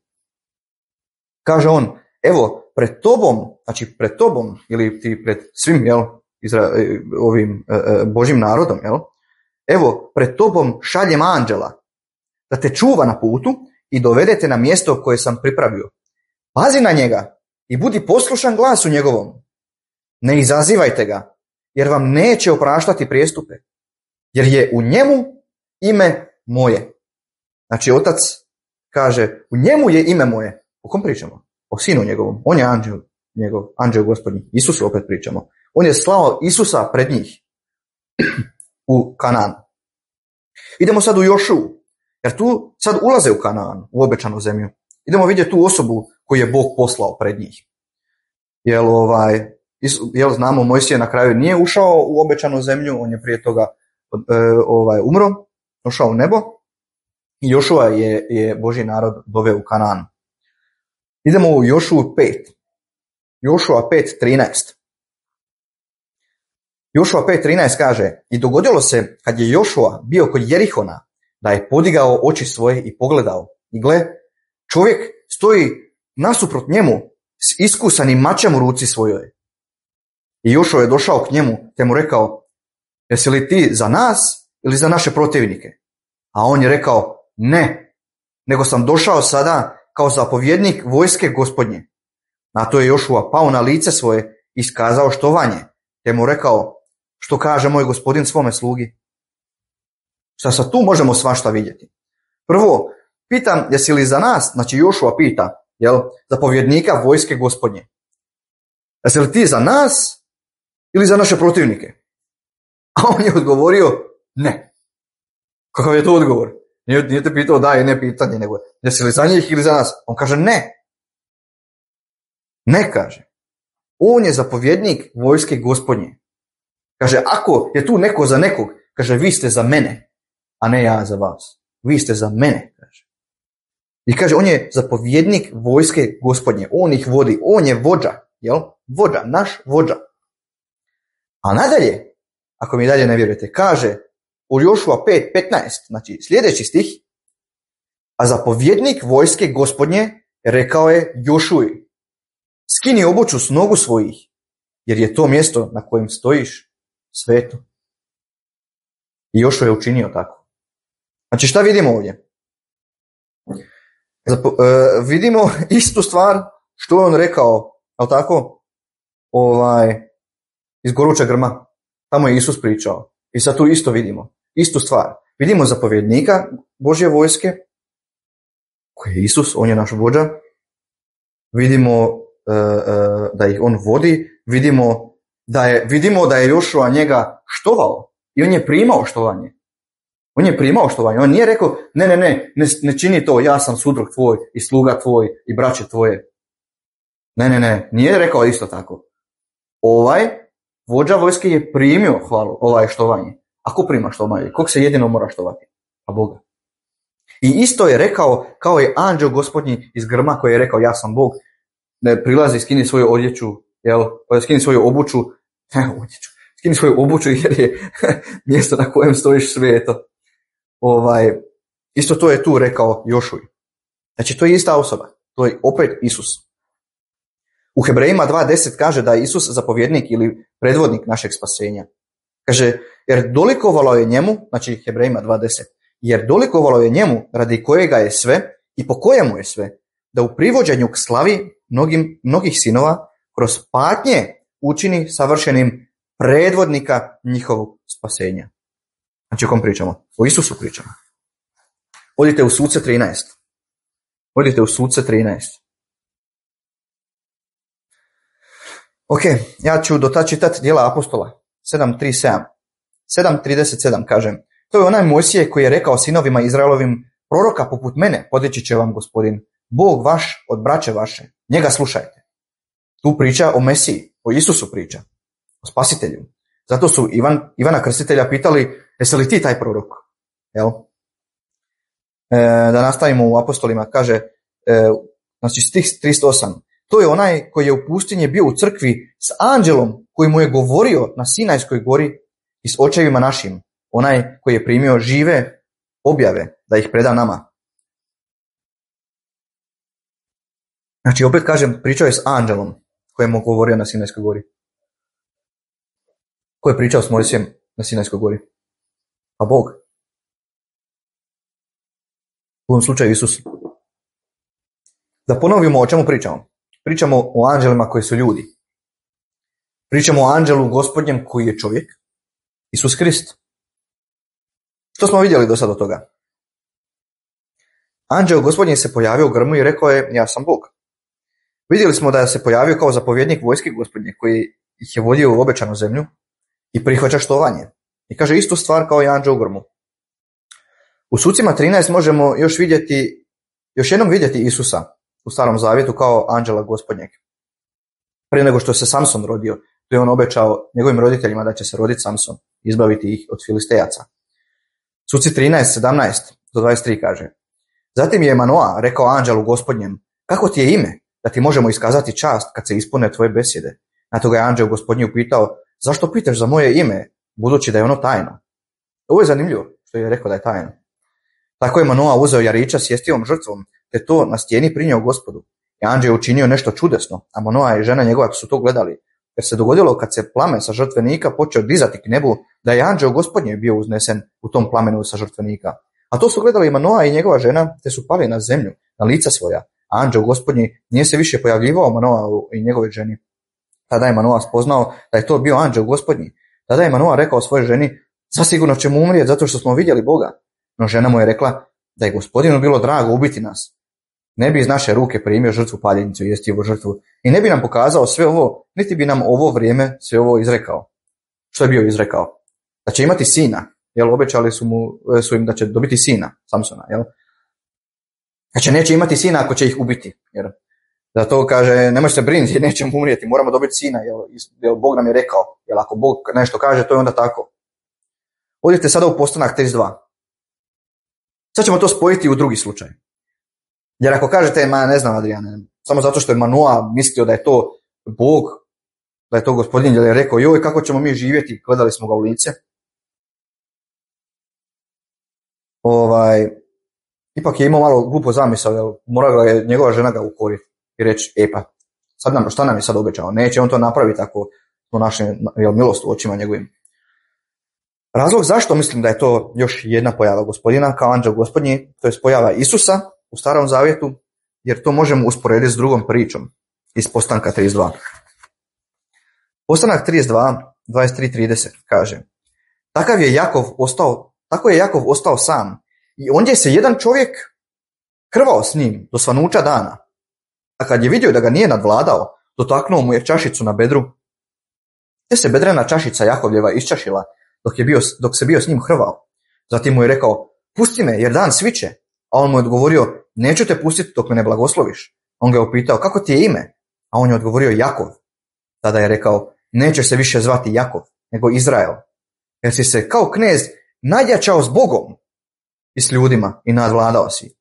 Kaže on, evo, pred tobom, znači pred tobom, ili ti pred svim, jel, Izra, ovim e, e, Božim narodom, jel, evo, pred tobom šaljem anđela, da te čuva na putu i dovedete na mjesto koje sam pripravio. Pazi na njega i budi poslušan glasu njegovom. Ne izazivajte ga, jer vam neće opraštati prijestupe, jer je u njemu ime moje. Znači, Otac kaže, u njemu je ime moje. O kom pričamo? O sinu njegovom. On je anđel, njegov, anđel Gospodnji. Isusu opet pričamo. On je slao Isusa pred njih u Kanaan. Idemo sad u Jošu, jer tu sad ulaze u Kanaan, u obećanu zemlju. Idemo vidjeti tu osobu koju je Bog poslao pred njih. Jel, ovaj, jel znamo, Mojsije na kraju nije ušao u obećanu zemlju, on je prije toga e, ovaj, umro, došao u nebo i Jošua je, je Božji narod doveo u Kanaan. Idemo u Jošu pet. Jošua pet trinaest. Jošua pet trinaest kaže, i dogodilo se kad je Jošua bio kod Jerihona, da je podigao oči svoje i pogledao. I gle, čovjek stoji nasuprot njemu s iskusanim mačem u ruci svojoj. I Jošua je došao k njemu te mu rekao, jesi li ti za nas ili za naše protivnike? A on je rekao, ne, nego sam došao sada kao zapovjednik vojske Gospodnje. Na to je Jošua pao na lice svoje i iskazao štovanje, te mu rekao, što kaže moj gospodin svome slugi. Šta sad tu možemo svašta vidjeti? Prvo, pitam, jesi li za nas, znači Jošua pita, jel, zapovjednika vojske gospodnje, jesi li ti za nas ili za naše protivnike? A on je odgovorio, ne. Kakav je to odgovor? Nije, nije te pitao da i ne pitanje, nego jesi li za njih ili za nas? On kaže ne. Ne, kaže. On je zapovjednik vojske gospodnje. Kaže, ako je tu neko za nekog, kaže, vi ste za mene, a ne ja za vas. Vi ste za mene, kaže. I kaže, on je zapovjednik vojske gospodnje. On ih vodi, on je vođa, jel? Vođa, naš vođa. A nadalje, ako mi dalje ne vjerujete, kaže u Jošua pet petnaest, znači sljedeći stih, a zapovjednik vojske gospodnje rekao je Jošuji, skini obuću s nogu svojih, jer je to mjesto na kojem stojiš sveto. I Jošua je učinio tako. Znači šta vidimo ovdje? Zapo, uh, vidimo istu stvar što je on rekao, ali tako, ovaj, iz goruća grma. Tamo je Isus pričao. I sad tu isto vidimo. Istu stvar. Vidimo zapovjednika Božje vojske, koji je Isus, on je naš vođa. Vidimo uh, uh, da ih on vodi. Vidimo da je, vidimo da je Jošua njega štovao. I on je primao štovanje. On je primao štovanje. On nije rekao, ne, ne, ne, ne, ne čini to, ja sam sudrug tvoj i sluga tvoj i braće tvoje. Ne, ne, ne, nije rekao isto tako. Ovaj vođa vojske je primio hvalu, ovaj štovanje. Ako prima štovanje, kog se jedino mora štovati? A Boga. I isto je rekao, kao je anđeo gospodnji iz grma koji je rekao, ja sam Bog, ne prilazi, skini svoju odjeću, jel, skini svoju obuću, ne, odjeću, skini svoju obuću jer je mjesto na kojem stojiš sveto. Ovaj, isto to je tu rekao Jošuj. Znači, to je ista osoba. To je opet Isus. U Hebrejima dva deset kaže da je Isus zapovjednik ili predvodnik našeg spasenja. Kaže, jer dolikovalo je njemu, znači Hebrejima dva deset, jer dolikovalo je njemu radi kojega je sve i po kojemu je sve, da u privođenju k slavi mnogim, mnogih sinova kroz patnje učini savršenim predvodnika njihovog spasenja. Znači o kom pričamo? O Isusu pričamo. Odite u Suce trinaest. Odite u Suce trinaest. Ok, ja ću do tad čitati djela apostola. sedam trideset sedam. sedam trideset sedam kažem. To je onaj Mojsije koji je rekao sinovima Izraelovim, proroka poput mene podići će vam gospodin, Bog vaš od braće vaše. Njega slušajte. Tu priča o Mesiji, o Isusu priča, o spasitelju. Zato su Ivan, Ivana Krstitelja pitali, jesi li ti taj prorok? Jel? E, da nastavimo u apostolima, kaže, e, znači stih tristo osam. To je onaj koji je u pustinji bio u crkvi s anđelom koji mu je govorio na Sinajskoj gori i s očevima našim. Onaj koji je primio žive objave da ih preda nama. Znači, opet kažem, pričao je s anđelom koji mu govorio na Sinajskoj gori. Ko je pričao s Mojsijem na Sinajskoj gori? A Bog. U ovom slučaju Isus. Da ponovimo o čemu pričamo. Pričamo o anđelima koji su ljudi. Pričamo o anđelu gospodnjem koji je čovjek. Isus Krist. Što smo vidjeli do sada od toga? Anđeo gospodnji se pojavio u grmu i rekao je, ja sam Bog. Vidjeli smo da je se pojavio kao zapovjednik vojske gospodnje koji ih je vodio u obećanu zemlju i prihvaća štovanje. I kaže istu stvar kao i anđeo u grmu. U Sucima trinaest možemo još vidjeti, još jednom vidjeti Isusa u Starom zavjetu kao anđela gospodnjeg. Prije nego što se Samson rodio, to je on obećao njegovim roditeljima da će se roditi Samson, izbaviti ih od Filistejaca. Suci trinaest sedamnaest do dvadeset tri kaže, zatim je Manoa rekao anđelu gospodnjem, kako ti je ime, da ti možemo iskazati čast kad se ispune tvoje besjede? Na to ga je anđel gospodnji upitao, zašto pitaš za moje ime, budući da je ono tajno? Ovo je zanimljivo što je rekao da je tajno. Tako je Manoa uzeo jarića s jestivom žrtvom, te to na stijeni prinio Gospodu. I anđel je učinio nešto čudesno, a Manoa i žena njegova su to gledali. Jer se dogodilo kad se plamen sa žrtvenika počeo dizati k nebu, da je anđeo gospodnje bio uznesen u tom plamenu sa žrtvenika. A to su gledali i Manoa i njegova žena, te su pali na zemlju, na lica svoja. A anđeo gospodnji nije se više pojavljivao Manoa i njegove ženi. Tada je Manoa spoznao da je to bio anđeo gospodnji. Tada je Manoa rekao svojoj ženi, zasigurno ćemo umrijeti zato što smo vidjeli Boga. No žena mu je rekla da je Gospodinu bilo drago ubiti nas. Ne bi iz naše ruke primio žrtvu paljenicu i jestivu žrtvu i ne bi nam pokazao sve ovo, niti bi nam ovo vrijeme sve ovo izrekao. Što je bio izrekao? Da će imati sina, jel, obećali su, mu, su im da će dobiti sina, Samsona, jel? Znači neće imati sina ako će ih ubiti, jer zato kaže, nemoj se brinuti, nećemo umrijeti, moramo dobiti sina, jel, jel Bog nam je rekao, jel ako Bog nešto kaže, to je onda tako. Odite sada u Postanak trideset dva. Sad ćemo to spojiti u drugi slučaj. Jer ako kažete, ma ne znam Adriane, samo zato što je Manoa mislio da je to Bog, da je to Gospodin, jer je rekao, joj, kako ćemo mi živjeti, gledali smo ga u lice. Ovaj, ipak je imao malo glupo zamisao, jer morala je njegova žena ga ukoriti i reći, e pa, sad nam, šta nam je sad obećao? Neće on to napraviti ako smo našli milost u očima njegovim. Razlog zašto mislim da je to još jedna pojava Gospodina kao anđeo Gospodnji, to je pojava Isusa u Starom zavjetu, jer to možemo usporediti s drugom pričom iz Postanka trideset dva. Postanak trideset dva, dvadeset tri trideset kaže, takav je Jakov ostao, tako je Jakov ostao sam i ondje se jedan čovjek krvao s njim do svanuća dana. A kad je vidio da ga nije nadvladao, dotaknuo mu je čašicu na bedru, te se bedrena čašica Jakovljeva iščašila dok, je bio, dok se bio s njim hrvao. Zatim mu je rekao, pusti me jer dan sviće. A on mu je odgovorio, neću te pustiti dok me ne blagosloviš. On ga je upitao, kako ti je ime? A on je odgovorio, Jakov. Tada je rekao, neće se više zvati Jakov, nego Izrael. Jer si se kao knez nadjačao s Bogom i s ljudima i nadvladao si.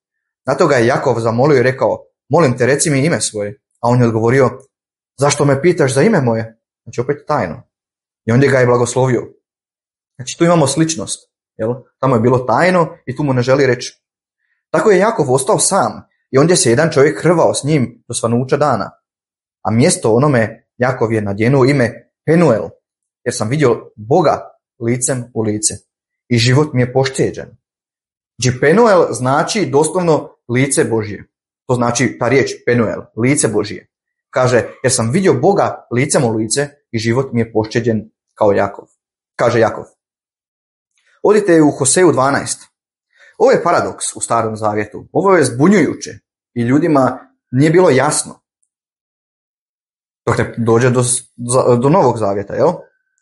Na to ga je Jakov zamolio i rekao, molim te, reci mi ime svoje. A on je odgovorio, zašto me pitaš za ime moje? Znači opet tajno. I onda ga je blagoslovio. Znači tu imamo sličnost. Jel? Tamo je bilo tajno i tu mu ne želi reći. Tako je Jakov ostao sam i ondje se jedan čovjek hrvao s njim do svanuća dana. A mjesto onome Jakov je nadjenuo ime Penuel, jer sam vidio Boga licem u lice i život mi je pošteđen. Znači Penuel znači doslovno lice Božje. To znači ta riječ Penuel, lice Božje. Kaže, jer sam vidio Boga licem u lice i život mi je pošteđen kao Jakov. Kaže Jakov. Odite u Hoseju dvanaest. Ovo je paradoks u Starom zavjetu. Ovo je zbunjujuće i ljudima nije bilo jasno. Dok ne dođe do, do Novog zavjeta, jel?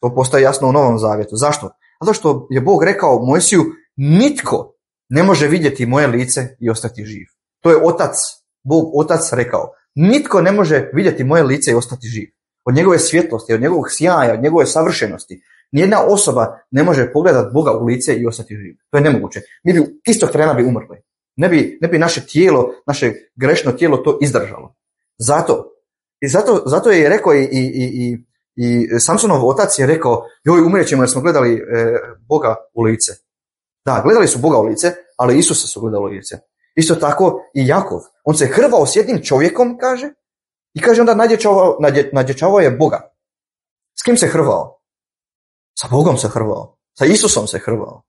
To postaje jasno u Novom zavjetu. Zašto? Zato što je Bog rekao Mojsiju, nitko ne može vidjeti moje lice i ostati živ. To je otac, Bog otac rekao. Nitko ne može vidjeti moje lice i ostati živ. Od njegove svjetlosti, od njegovog sjaja, od njegove savršenosti. Nijedna osoba ne može pogledati Boga u lice i ostati živ. To je nemoguće. Mi bi istog trena bi umrli. Ne bi, ne bi naše tijelo, naše grešno tijelo to izdržalo. Zato, i zato, zato je rekao i, i, i, i Samsonov otac je rekao, joj, umrijećemo jer smo gledali e, Boga u lice. Da, gledali su Boga u lice, ali Isusa su gledali u lice. Isto tako i Jakov. On se hrvao s jednim čovjekom, kaže, i kaže onda nadječavao, nadje, nadječavao je Boga. S kim se hrvao? Sa Bogom se hrvao. Sa Isusom se hrvao.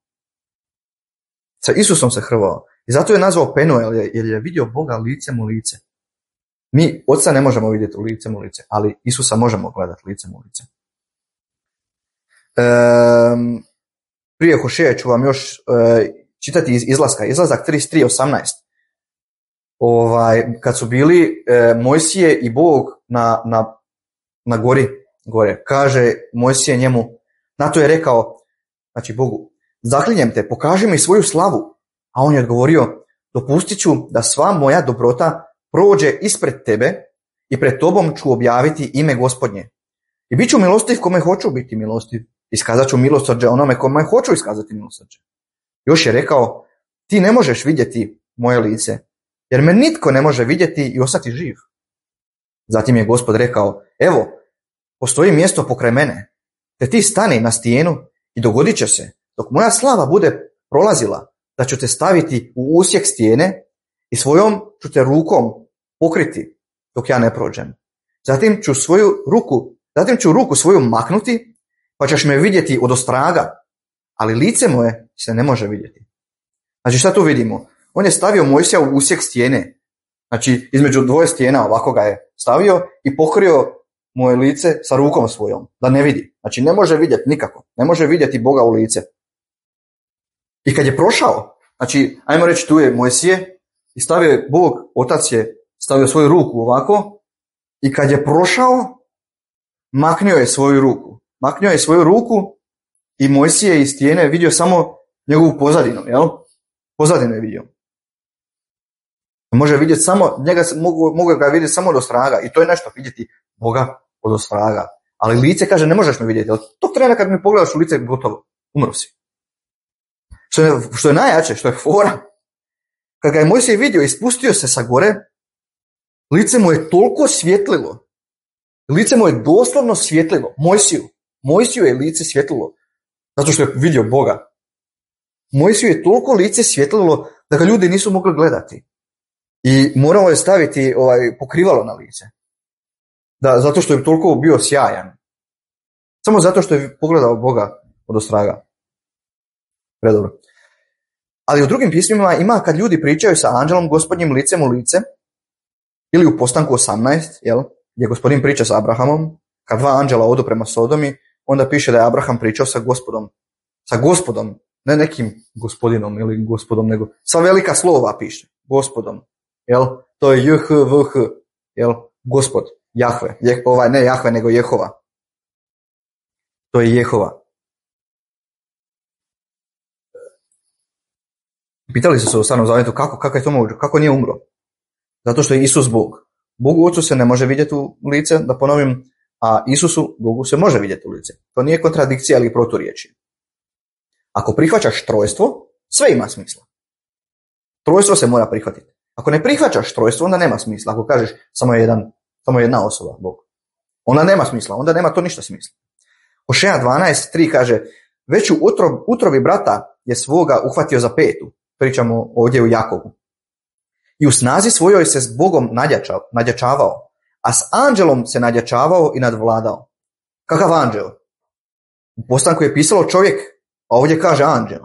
Sa Isusom se hrvao. I zato je nazvao Penuel, jer je vidio Boga licem u lice. Mi Oca ne možemo vidjeti u licem u lice, ali Isusa možemo gledati licem u lice. Um, prije Hošeja ću vam još uh, čitati iz izlaska. Izlazak trideset tri osamnaest. Ovaj, kad su bili uh, Mojsije i Bog na, na, na gori, gore, kaže Mojsije njemu, na to je rekao, znači Bogu, zaklinjem te, pokaži mi svoju slavu. A on je odgovorio, dopustit ću da sva moja dobrota prođe ispred tebe i pred tobom ću objaviti ime Gospodnje. I bit ću milostiv kome hoću biti milostiv. Iskazat ću milosrđe onome kome hoću iskazati milosrđe. Još je rekao, ti ne možeš vidjeti moje lice, jer me nitko ne može vidjeti i ostati živ. Zatim je Gospod rekao, evo, postoji mjesto pokraj mene, te ti stani na stijenu i dogodit će se, dok moja slava bude prolazila, da ću te staviti u usjek stijene i svojom ću te rukom pokriti dok ja ne prođem. Zatim ću svoju ruku, zatim ću ruku svoju maknuti, pa ćeš me vidjeti odostraga, ali lice moje se ne može vidjeti. Znači šta tu vidimo? On je stavio Mojsija u usjek stijene, znači između dvoje stijena ovako ga je stavio i pokrio moje lice sa rukom svojom, da ne vidi. Znači ne može vidjeti nikako, ne može vidjeti Boga u lice. I kad je prošao, znači ajmo reći tu je Mojsije i stavio je Bog, otac je stavio svoju ruku ovako i kad je prošao, maknio je svoju ruku. Maknio je svoju ruku i Mojsije iz stijene vidio samo njegovu pozadinu, jel? Pozadinu je vidio. Može vidjeti samo, njega mogu, mogu ga vidjeti samo od ostraga i to je nešto vidjeti Boga od ostraga. Ali lice kaže ne možeš me vidjeti, ali tog trena kad mi pogledaš u lice gotovo, umro si. Što je, što je najjače, što je fora, kad ga je Mojsije vidio i spustio se sa gore, lice mu je toliko svjetlilo, lice mu je doslovno svjetlilo, Mojsiju, Mojsiju je lice svjetlilo, zato što je vidio Boga. Mojsiju je toliko lice svjetlilo da ga ljudi nisu mogli gledati. I morao je staviti ovaj, pokrivalo na lice. Da, zato što je toliko bio sjajan. Samo zato što je pogledao Boga od ostraga. Predobro. Ali u drugim pismima ima kad ljudi pričaju sa anđelom gospodnjim licem u lice, ili u Postanku osamnaest, jel, gdje gospodin priča sa Abrahamom, kad dva anđela odu prema Sodomi, onda piše da je Abraham pričao sa gospodom. Sa gospodom, ne nekim gospodinom ili gospodom, nego sa velika slova piše. Gospodom. Jel? To je J H V H. Jel? Gospod. Jahve. Je, ovaj, ne Jahve, nego Jehova. To je Jehova. Pitali su se u Starom zavjetu kako, kako je to moguće, kako nije umro. Zato što je Isus Bog. Bogu Ocu se ne može vidjeti u lice, da ponovim, a Isusu, Bogu, se može vidjeti u lice. To nije kontradikcija ili proturječje. Ako prihvaćaš trojstvo, sve ima smisla. Trojstvo se mora prihvatiti. Ako ne prihvaćaš trojstvo, onda nema smisla. Ako kažeš samo je jedan, samo jedna osoba, Bog. Onda nema smisla, onda nema to ništa smisla. Hošeja dvanaest tri kaže, već u utrob, utrobi brata je svoga uhvatio za petu. Pričamo ovdje u Jakovu. I u snazi svojoj se s Bogom nadjačao, nadjačavao, a s anđelom se nadjačavao i nadvladao. Kakav anđel? U Postanku je pisalo čovjek, a ovdje kaže anđel.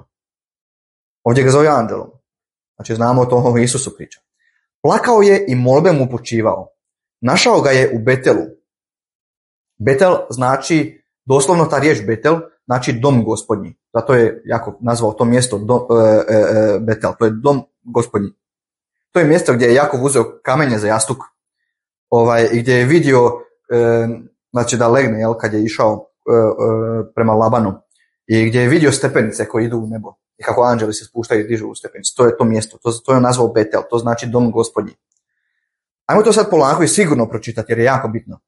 Ovdje ga zove anđelom. Znači znamo o tom Isusu priča. Plakao je i molbe mu upućivao. Našao ga je u Betelu. Betel znači, doslovno ta riječ Betel, znači dom gospodnji. Zato je jako nazvao to mjesto dom, e, e, Betel. To je dom gospodnji. To je mjesto gdje je Jakov uzeo kamenje za jastuk. Ovaj, gdje je vidio, e, znači da legne, jel, kad je išao e, e, prema Labanu. I gdje je vidio stepenice koje idu u nebo. I kako anđeli se spuštaju i dižu u stepenice. To je to mjesto. To, to je nazvao Betel. To znači dom gospodnji. Ajmo to sad polako i sigurno pročitati jer je jako bitno.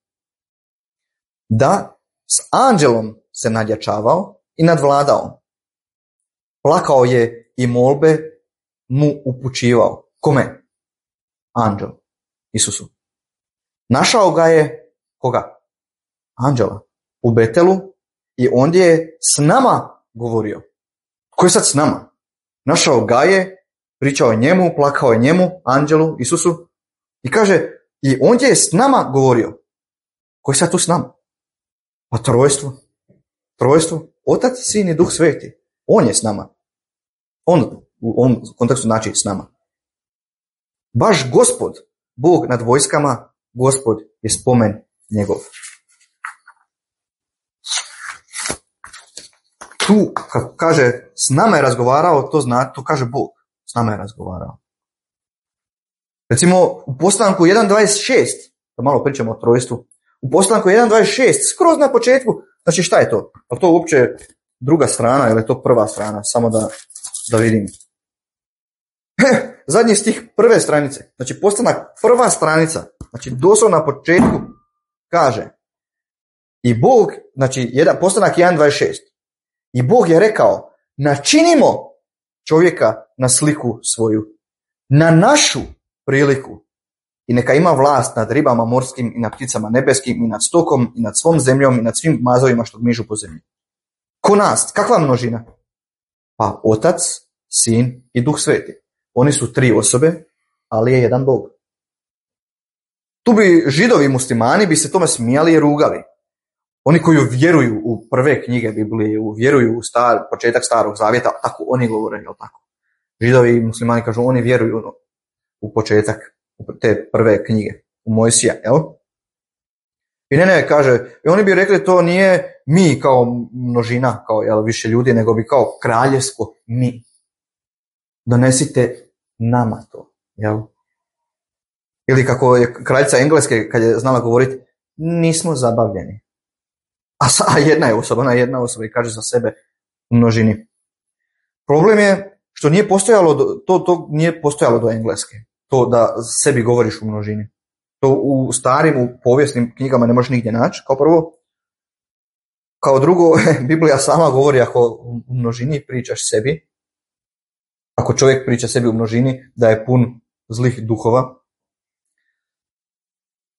Da s anđelom se nadjačavao i nadvladao. Plakao je i molbe mu upućivao. Kome? Anđel. Isusu. Našao ga je, koga? Anđela. U Betelu i ondje je s nama govorio. Ko je sad s nama? Našao ga je, pričao je njemu, plakao je njemu, anđelu, Isusu i kaže, i ondje je s nama govorio. Ko je sad tu s nama? Pa trojstvo. Trojstvo. Otac, Sin i Duh Sveti. On je s nama. On u ovom kontekstu znači s nama. Baš Gospod, Bog nad vojskama, Gospod je spomen njegov. Tu, kad kaže s nama je razgovarao, to zna, to kaže Bog. S nama je razgovarao. Recimo, u Postanku jedan dvadeset šest, da malo pričamo o trojstvu, u Postanku jedan dvadeset šest, skroz na početku, znači šta je to? Je to uopće druga strana ili je to prva strana? Samo da, da vidim. Zadnji stih prve stranice, znači Postanak prva stranica, znači doslovno na početku kaže i Bog, znači jedan, Postanak jedan dvadeset šest, i Bog je rekao, načinimo čovjeka na sliku svoju, na našu priliku i neka ima vlast nad ribama morskim i nad pticama nebeskim i nad stokom i nad svom zemljom i nad svim mazovima što gmižu po zemlji. Ko nas? Kakva množina? Pa Otac, Sin i Duh Sveti. Oni su tri osobe, ali je jedan Bog. Tu bi židovi muslimani bi se tome smijali i rugali. Oni koji vjeruju u prve knjige Biblije, vjeruju u star, početak Starog Zavjeta, tako oni govore, jel tako? Židovi i muslimani kažu, oni vjeruju u početak te prve knjige, u Mojsija, jel? I ne, ne, kaže, i oni bi rekli to nije mi kao množina, kao jel, više ljudi, nego bi kao kraljevsko mi. Donesite nama to, jel? Ili kako je kraljica Engleske, kad je znala govoriti, nismo zabavljeni. A, sa, a jedna je osoba, ona je jedna osoba i kaže za sebe u množini. Problem je što nije postojalo, do, to, to nije postojalo do Engleske, to da sebi govoriš u množini. To u starim, u povijesnim knjigama ne možeš nigdje naći, kao prvo. Kao drugo, Biblija sama govori ako u množini pričaš sebi, ako čovjek priča sebi u množini, da je pun zlih duhova.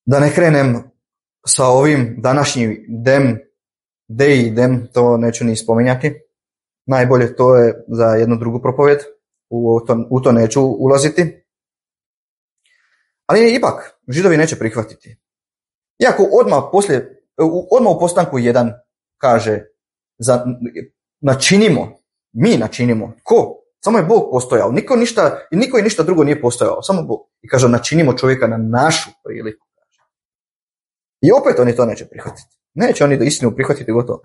Da ne krenem sa ovim današnjim dem, dei dem, to neću ni spominjati. Najbolje to je za jednu drugu propovjed, u to, u to neću ulaziti. Ali ipak, Židovi neće prihvatiti. Iako odmah, poslije, odmah u postanku jedan kaže, za, načinimo, mi načinimo. Ko? Samo je Bog postojao. Niko, ništa, niko i ništa drugo nije postojao, samo Bog. I kaže, načinimo čovjeka na našu priliku. I opet oni to neće prihvatiti. Neće oni istinu prihvatiti gotovo.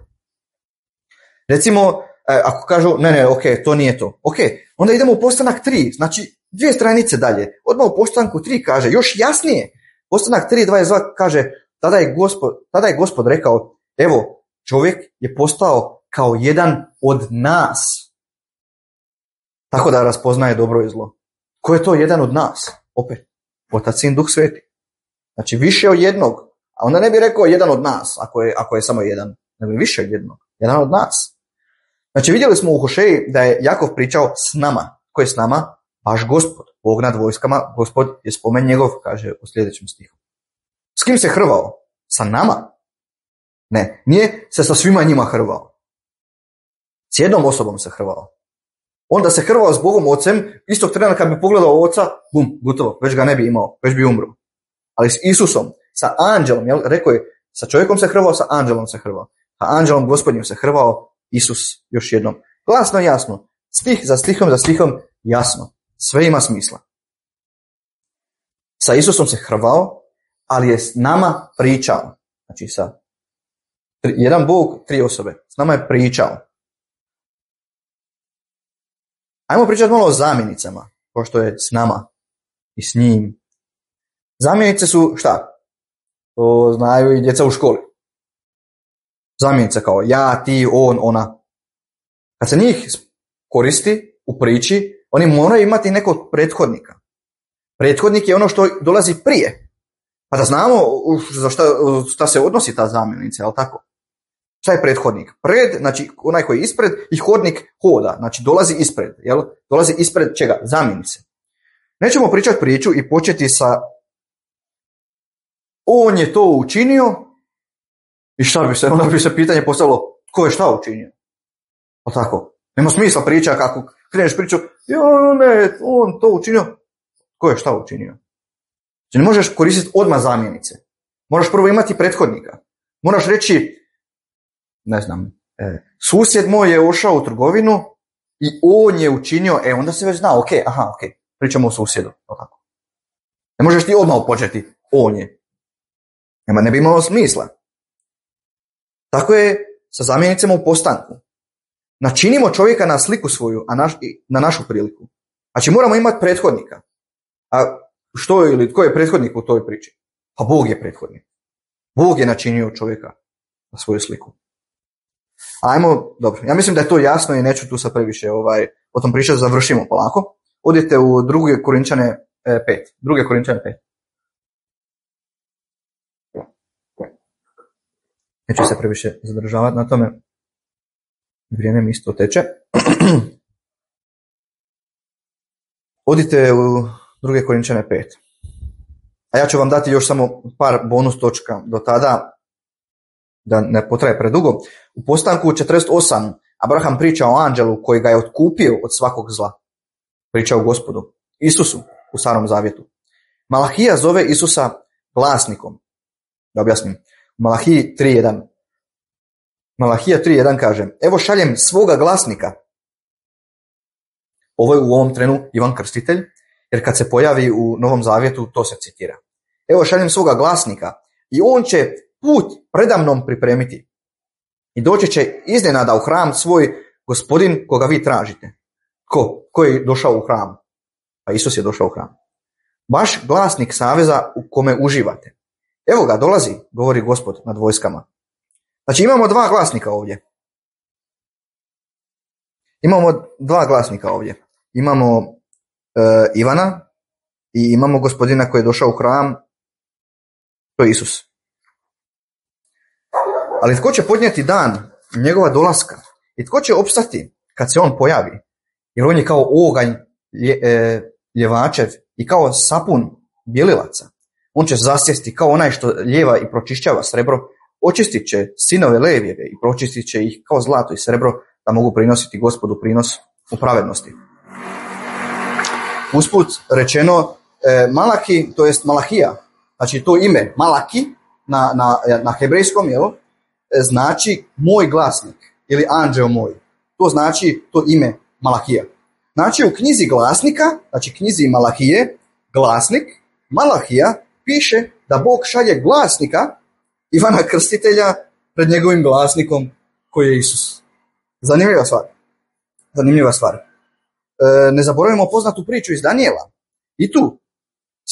Recimo, ako kažu, ne, ne, ok, to nije to. Ok, onda idemo u postanak tri, znači dvije stranice dalje. Odmah u postanku tri kaže, još jasnije. Postanak tri dvadeset dva kaže, tada je gospod, tada je gospod rekao, evo, čovjek je postao kao jedan od nas. Tako da raspoznaje dobro i zlo. Ko je to jedan od nas? Opet, Otac, Sin, Duh Sveti. Znači više od jednog. A onda ne bi rekao jedan od nas, ako je, ako je samo jedan. Nego više od jednog. Jedan od nas. Znači vidjeli smo u Hošeji da je Jakov pričao s nama. Ko je s nama? Baš Gospod. Bog nad vojskama. Gospod je spomen njegov, kaže u sljedećem stihu. S kim se hrvao? Sa nama? Ne, nije se sa svima njima hrvao. S jednom osobom se hrvao. Onda se hrvao s Bogom Ocem, istog trena kad bi pogledao Oca, bum, gotovo, već ga ne bi imao, već bi umro. Ali s Isusom, sa anđelom, jel, rekao je, sa čovjekom se hrvao, sa anđelom se hrvao. Sa anđelom Gospodnjim se hrvao Isus još jednom. Glasno i jasno, stih za stihom za stihom, jasno. Sve ima smisla. Sa Isusom se hrvao, ali je s nama pričao. Znači sa jedan Bog, tri osobe. S nama je pričao. Ajmo pričati malo o zamjenicama, pošto je s nama i s njim. Zamjenice su šta? To znaju i djeca u školi. Zamjenica kao ja, ti, on, ona. Kad se njih koristi u priči, oni moraju imati nekog prethodnika. Prethodnik je ono što dolazi prije. Pa da znamo za šta, šta se odnosi ta zamjenica, jel tako? Šta je prethodnik? Pred, znači onaj koji je ispred, i hodnik hoda, znači dolazi ispred, jel? Dolazi ispred čega? Zamjenice. Nećemo pričati priču i početi sa on je to učinio i šta bi se, onda bi se pitanje postavilo tko je šta učinio? Pa tako, nema smisla priča kako kreneš priču, jo ne, on to učinio, tko je šta učinio? Znači ne možeš koristiti odmah zamjenice. Moraš prvo imati prethodnika. Moraš reći, ne znam, e, susjed moj je ušao u trgovinu i on je učinio, e onda se već zna, ok, aha, ok, pričamo o susjedu. Tako. Ne možeš ti odmah početi, on je. Nema, ne bi imalo smisla. Tako je sa zamjenicama u postanku. Načinimo čovjeka na sliku svoju, a naš, na našu priliku. Znači moramo imati prethodnika. A što je ili tko je prethodnik u toj priči? Pa Bog je prethodnik. Bog je načinio čovjeka na svoju sliku. Ajmo, dobro, ja mislim da je to jasno i neću tu sad previše ovaj, o tom pričati, završimo polako. Odite u druge Korinčane pet. Druge Korinčane pet. Neću se previše zadržavati na tome. Vrijeme mi isto teče. Odite u druge Korinčane pet. A ja ću vam dati još samo par bonus točka do tada, da ne potraje predugo. U postanku četrdeset osam Abraham priča o anđelu koji ga je otkupio od svakog zla. Priča o Gospodu, Isusu u Starom Zavjetu. Malahija zove Isusa glasnikom. Da objasnim. U Malahiji tri jedan. Malahija tri jedan kaže, evo šaljem svoga glasnika. Ovo je u ovom trenu Ivan Krstitelj, jer kad se pojavi u Novom Zavjetu, to se citira. Evo šaljem svoga glasnika i on će put predamnom pripremiti. I doći će iznenada u hram svoj gospodin koga vi tražite. Ko? Ko je došao u hram? Pa Isus je došao u hram. Vaš glasnik saveza u kome uživate. Evo ga, dolazi, govori Gospod nad vojskama. Znači imamo dva glasnika ovdje. Imamo dva glasnika ovdje. Imamo uh, Ivana i imamo gospodina koji je došao u hram, to je Isus. Ali tko će podnijeti dan njegova dolaska i tko će opstati kad se on pojavi? Jer on je kao oganj lje, e, ljevačev i kao sapun bjelilaca. On će zasjesti kao onaj što ljeva i pročišćava srebro, očistit će sinove Levijeve i pročistit će ih kao zlato i srebro da mogu prinositi Gospodu prinos u pravednosti. Usput rečeno, e, Malaki, to jest Malahija, znači to ime Malaki na, na, na hebrejskom, jel, znači moj glasnik ili anđeo moj. To znači to ime Malahija. Znači u knjizi glasnika, znači knjizi Malahije, glasnik, Malahija piše da Bog šalje glasnika Ivana Krstitelja pred njegovim glasnikom koji je Isus. Zanimljiva stvar. Zanimljiva stvar. E, ne zaboravimo poznatu priču iz Danijela. I tu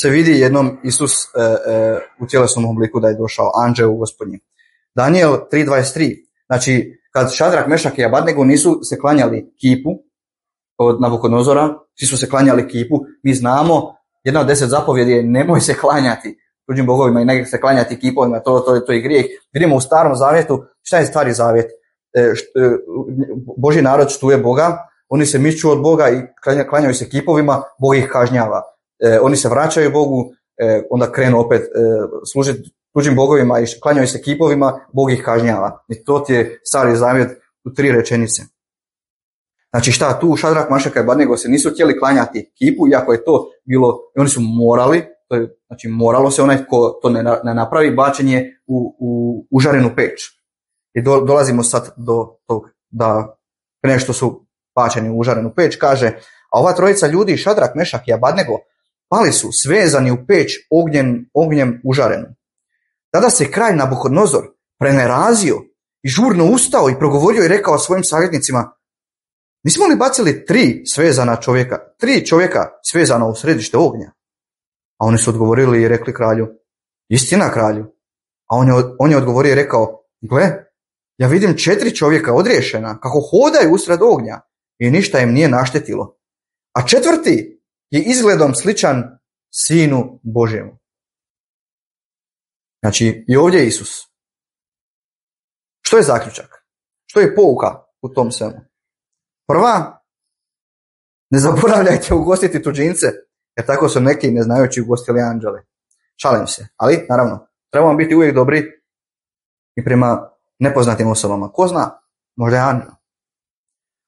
se vidi jednom Isus e, e, u tjelesnom obliku da je došao anđeo gospodnji. Danijel tri dvadeset tri. Znači, kad Šadrak, Mešak i Abadnego nisu se klanjali kipu od Navukodonozora, svi su se klanjali kipu, mi znamo, jedna od deset zapovjedi je nemoj se klanjati tuđim bogovima i ne se klanjati kipovima, to, to, to je grijeh. Vidimo u Starom zavjetu, šta je stari zavjet? E, št, e, Božji narod štuje Boga, oni se miču od Boga i klanjaju se kipovima, Bog ih kažnjava. E, oni se vraćaju Bogu, e, onda krenu opet e, služiti tuđim bogovima i klanjaju se kipovima, Bog ih kažnjava. I to ti je stari zavjet u tri rečenice. Znači šta, tu Šadrak, Mešak i Abednego se nisu htjeli klanjati kipu, iako je to bilo, i oni su morali, to je, znači moralo se onaj ko to ne, ne napravi, bačenje u, u užarenu peć. I do, dolazimo sad do tog da prije što su bačeni u užarenu peć, kaže, a ova trojica ljudi, Šadrak, Mešak i Abednego, pali su svezani u peć ognjem, ognjem užarenu. Tada se kralj Nabukodonozor prenerazio i žurno ustao i progovorio i rekao svojim savjetnicima, nismo li bacili tri svezana čovjeka, tri čovjeka svezana u središte ognja? A oni su odgovorili i rekli kralju, istina kralju. A on je, on je odgovorio i rekao, gle, ja vidim četiri čovjeka odriješena kako hodaju usred ognja i ništa im nije naštetilo. A četvrti je izgledom sličan Sinu Božjemu. Znači, i ovdje je Isus. Što je zaključak? Što je pouka u tom svemu? Prva, ne zaboravljajte ugostiti tuđince, jer tako su neki neznajući ugostili anđele. Šalim se, ali naravno, trebamo biti uvijek dobri i prema nepoznatim osobama. Ko zna? Možda je anđel.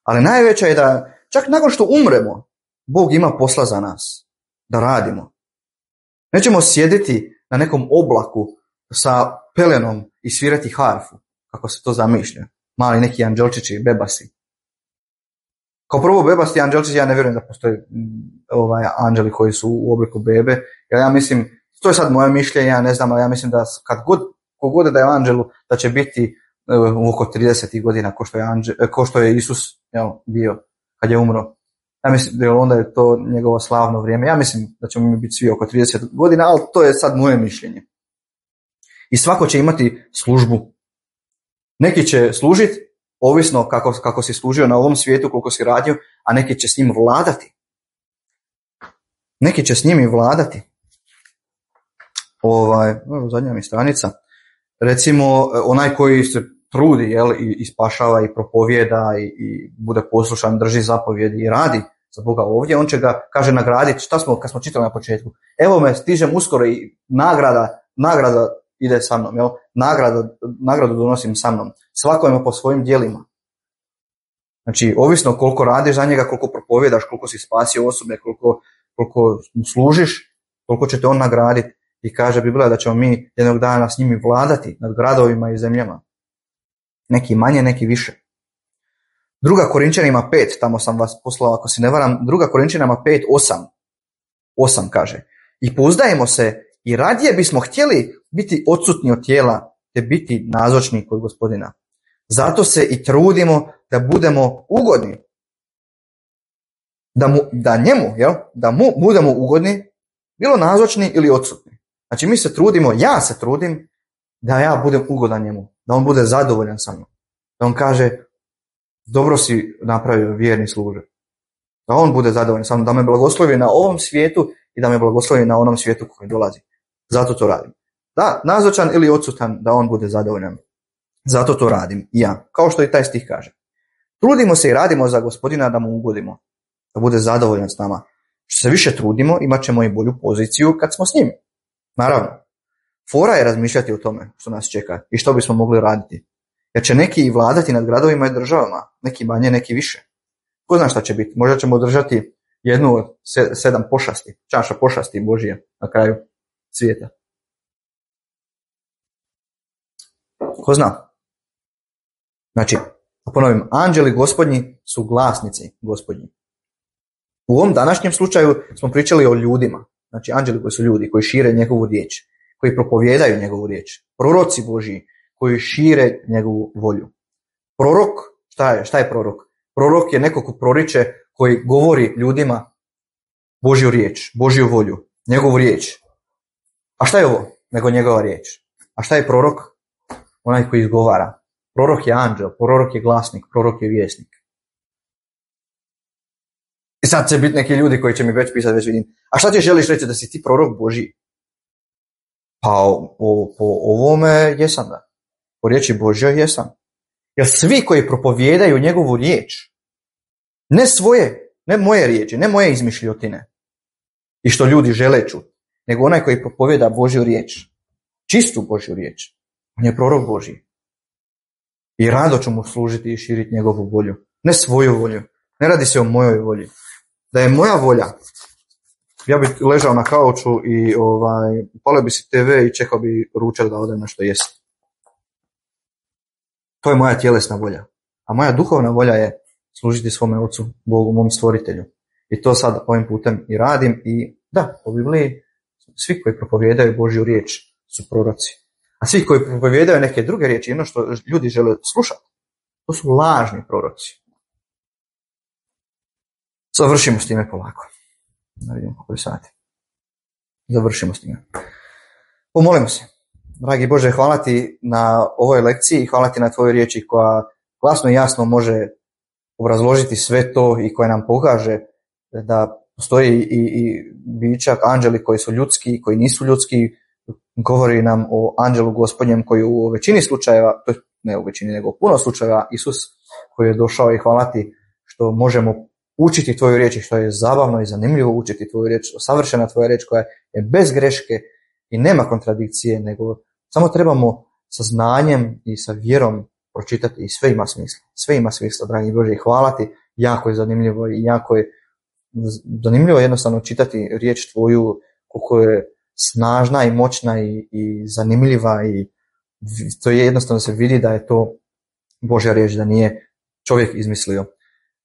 Ali najveća je da čak nakon što umremo, Bog ima posla za nas, da radimo. Nećemo sjediti na nekom oblaku sa pelenom i svirati harfu, kako se to zamišlja. Mali neki anđelčići, bebasi. Kao prvo, bebasti anđelčići, ja ne vjerujem da postoje ovaj, anđeli koji su u obliku bebe. Jer ja mislim, to je sad moje mišljenje, ja ne znam, ali ja mislim da kad god, kogod da je anđelu, da će biti u oko trideset godina ko što je, anđel, ko što je Isus jel, bio kad je umro. Ja mislim da onda je to njegovo slavno vrijeme. Ja mislim da ćemo mi biti svi oko trideset godina, ali to je sad moje mišljenje. I svako će imati službu. Neki će služiti, ovisno kako, kako si služio na ovom svijetu, koliko si radio, a neki će s njim vladati. Neki će s njim i vladati. Ovaj, zadnja mi stranica. Recimo, onaj koji se trudi jel, i, i spašava i propovjeda i, i bude poslušan, drži zapovjedi i radi za Boga ovdje, on će ga, kaže, nagraditi. Šta smo, kad smo čitali na početku? Evo me, stižem uskoro i nagrada, nagrada ide sa mnom, jel? Nagrada, nagradu donosim sa mnom. Svako ima po svojim djelima. Znači, ovisno koliko radiš za njega, koliko propovjedaš, koliko si spasio osobe, koliko, koliko mu služiš, koliko će te on nagraditi. I kaže Biblija da ćemo mi jednog dana s njimi vladati nad gradovima i zemljama. Neki manje, neki više. Druga Korinčanima pet, tamo sam vas poslao ako se ne varam, druga Korinčanima pet, osam. osam kaže. I pouzdajemo se i radije bismo htjeli biti odsutni od tijela te biti nazočni kod Gospodina. Zato se i trudimo da budemo ugodni. Da, mu, da njemu, jel? Da mu budemo ugodni, bilo nazočni ili odsutni. Znači mi se trudimo, ja se trudim da ja budem ugodan njemu, da on bude zadovoljan sa mnom. Da on kaže, dobro si napravio, vjerni služe. Da on bude zadovoljan sa mnom, da me blagoslovi na ovom svijetu i da me blagoslovi na onom svijetu koji dolazi. Zato to radim. Da, nazočan ili odsutan, da on bude zadovoljan. Zato to radim i ja, kao što i taj stih kaže. Trudimo se i radimo za Gospodina da mu ugodimo, da bude zadovoljan s nama. Što se više trudimo, imat ćemo i bolju poziciju kad smo s njim. Naravno, fora je razmišljati o tome što nas čeka i što bismo mogli raditi. Jer će neki i vladati nad gradovima i državama, neki manje, neki više. Ko zna šta će biti? Možda ćemo držati jednu od sedam pošasti, čaša pošasti Božije na kraju svijeta. Ko zna? Znači, ponovim, anđeli Gospodnji su glasnici Gospodnji. U ovom današnjem slučaju smo pričali o ljudima. Znači, anđeli koji su ljudi, koji šire njegovu riječ, koji propovijedaju njegovu riječ. Proroci Božji, koji šire njegovu volju. Prorok, šta je, šta je prorok? Prorok je neko ko proriče, koji govori ljudima Božju riječ, Božju volju, njegovu riječ. A šta je ovo? Nego njegova riječ. A šta je prorok? Onaj koji izgovara. Prorok je anđel, prorok je glasnik, prorok je vjesnik. I sad će biti neki ljudi koji će mi već pisati, već vidim. A šta ti želiš reći da si ti prorok Božji? Pa po, po ovome jesam da. Po riječi Božjoj jesam. Jer svi koji propovijedaju njegovu riječ, ne svoje, ne moje riječi, ne moje izmišljotine i što ljudi žele čuti, nego onaj koji propovijeda Božju riječ, čistu Božju riječ, on je prorok Božji. I rado ću mu služiti i širiti njegovu volju, ne svoju volju. Ne radi se o mojoj volji. Da je moja volja, ja bih ležao na kauču i ovaj, upalio bi si te ve i čekao bi ručak da odem na što jest. To je moja tjelesna volja. A moja duhovna volja je služiti svome Ocu, Bogu, mom stvoritelju. I to sad ovim putem i radim. I da, po Bibliji svi koji propovijedaju Božju riječ su proroci. A svi koji propovijedaju neke druge riječi, ono što ljudi žele slušati, to su lažni proroci. Završimo s time polako. Da vidimo koliko je sati. Završimo s time. Pomolimo se. Dragi Bože, hvala ti na ovoj lekciji i hvala ti na tvojoj riječi koja glasno i jasno može obrazložiti sve to i koja nam pokaže da postoji i, i bića, anđeli koji su ljudski i koji nisu ljudski. Govori nam o anđelu Gospodnjem koji u većini slučajeva, ne u većini nego u puno slučajeva, Isus koji je došao i hvala ti što možemo učiti tvoju riječ i što je zabavno i zanimljivo učiti tvoju riječ, savršena tvoja riječ koja je bez greške i nema kontradikcije, nego samo trebamo sa znanjem i sa vjerom pročitati i sve ima smisla. Sve ima smisla, dragi Bože, i hvala ti, jako je zanimljivo i jako je zanimljivo jednostavno čitati riječ tvoju koliko je snažna i moćna i, i zanimljiva i to je jednostavno se vidi da je to Božja riječ, da nije čovjek izmislio.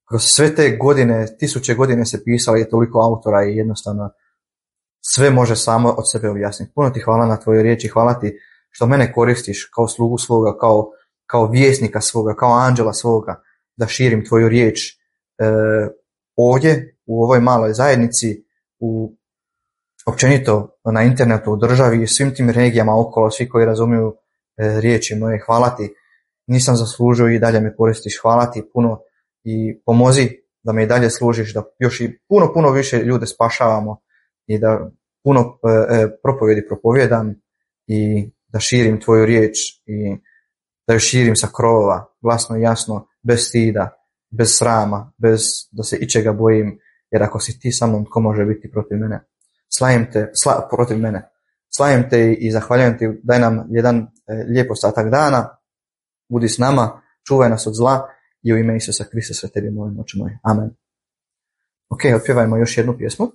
Kroz sve te godine, tisuće godine se pisalo, je toliko autora i jednostavno sve može samo od sebe objasniti. Puno ti hvala na tvojoj riječi, hvala ti što mene koristiš kao slugu svoga, kao, kao vjesnika svoga, kao anđela svoga, da širim tvoju riječ e, ovdje, u ovoj maloj zajednici, u općenito na internetu, u državi i svim tim regijama okolo, svi koji razumiju e, riječi moje. Hvala ti, nisam zaslužio i dalje me koristiš, hvala ti puno i pomozi da me i dalje služiš, da još i puno, puno više ljude spašavamo i da puno e, propovjedi propovjedam i da širim tvoju riječ i da ju širim sa krovova, glasno i jasno, bez stida, bez srama, bez da se ičega bojim, jer ako si ti sa mnom, tko može biti protiv mene? Slavim te, sla, protiv mene. Slavim te i zahvaljujem ti, daj nam jedan e, lijep ostatak dana, budi s nama, čuvaj nas od zla i u ime Isusa Krista sve tebi molim, oče moj. Amen. Ok, otpjevajmo još jednu pjesmu.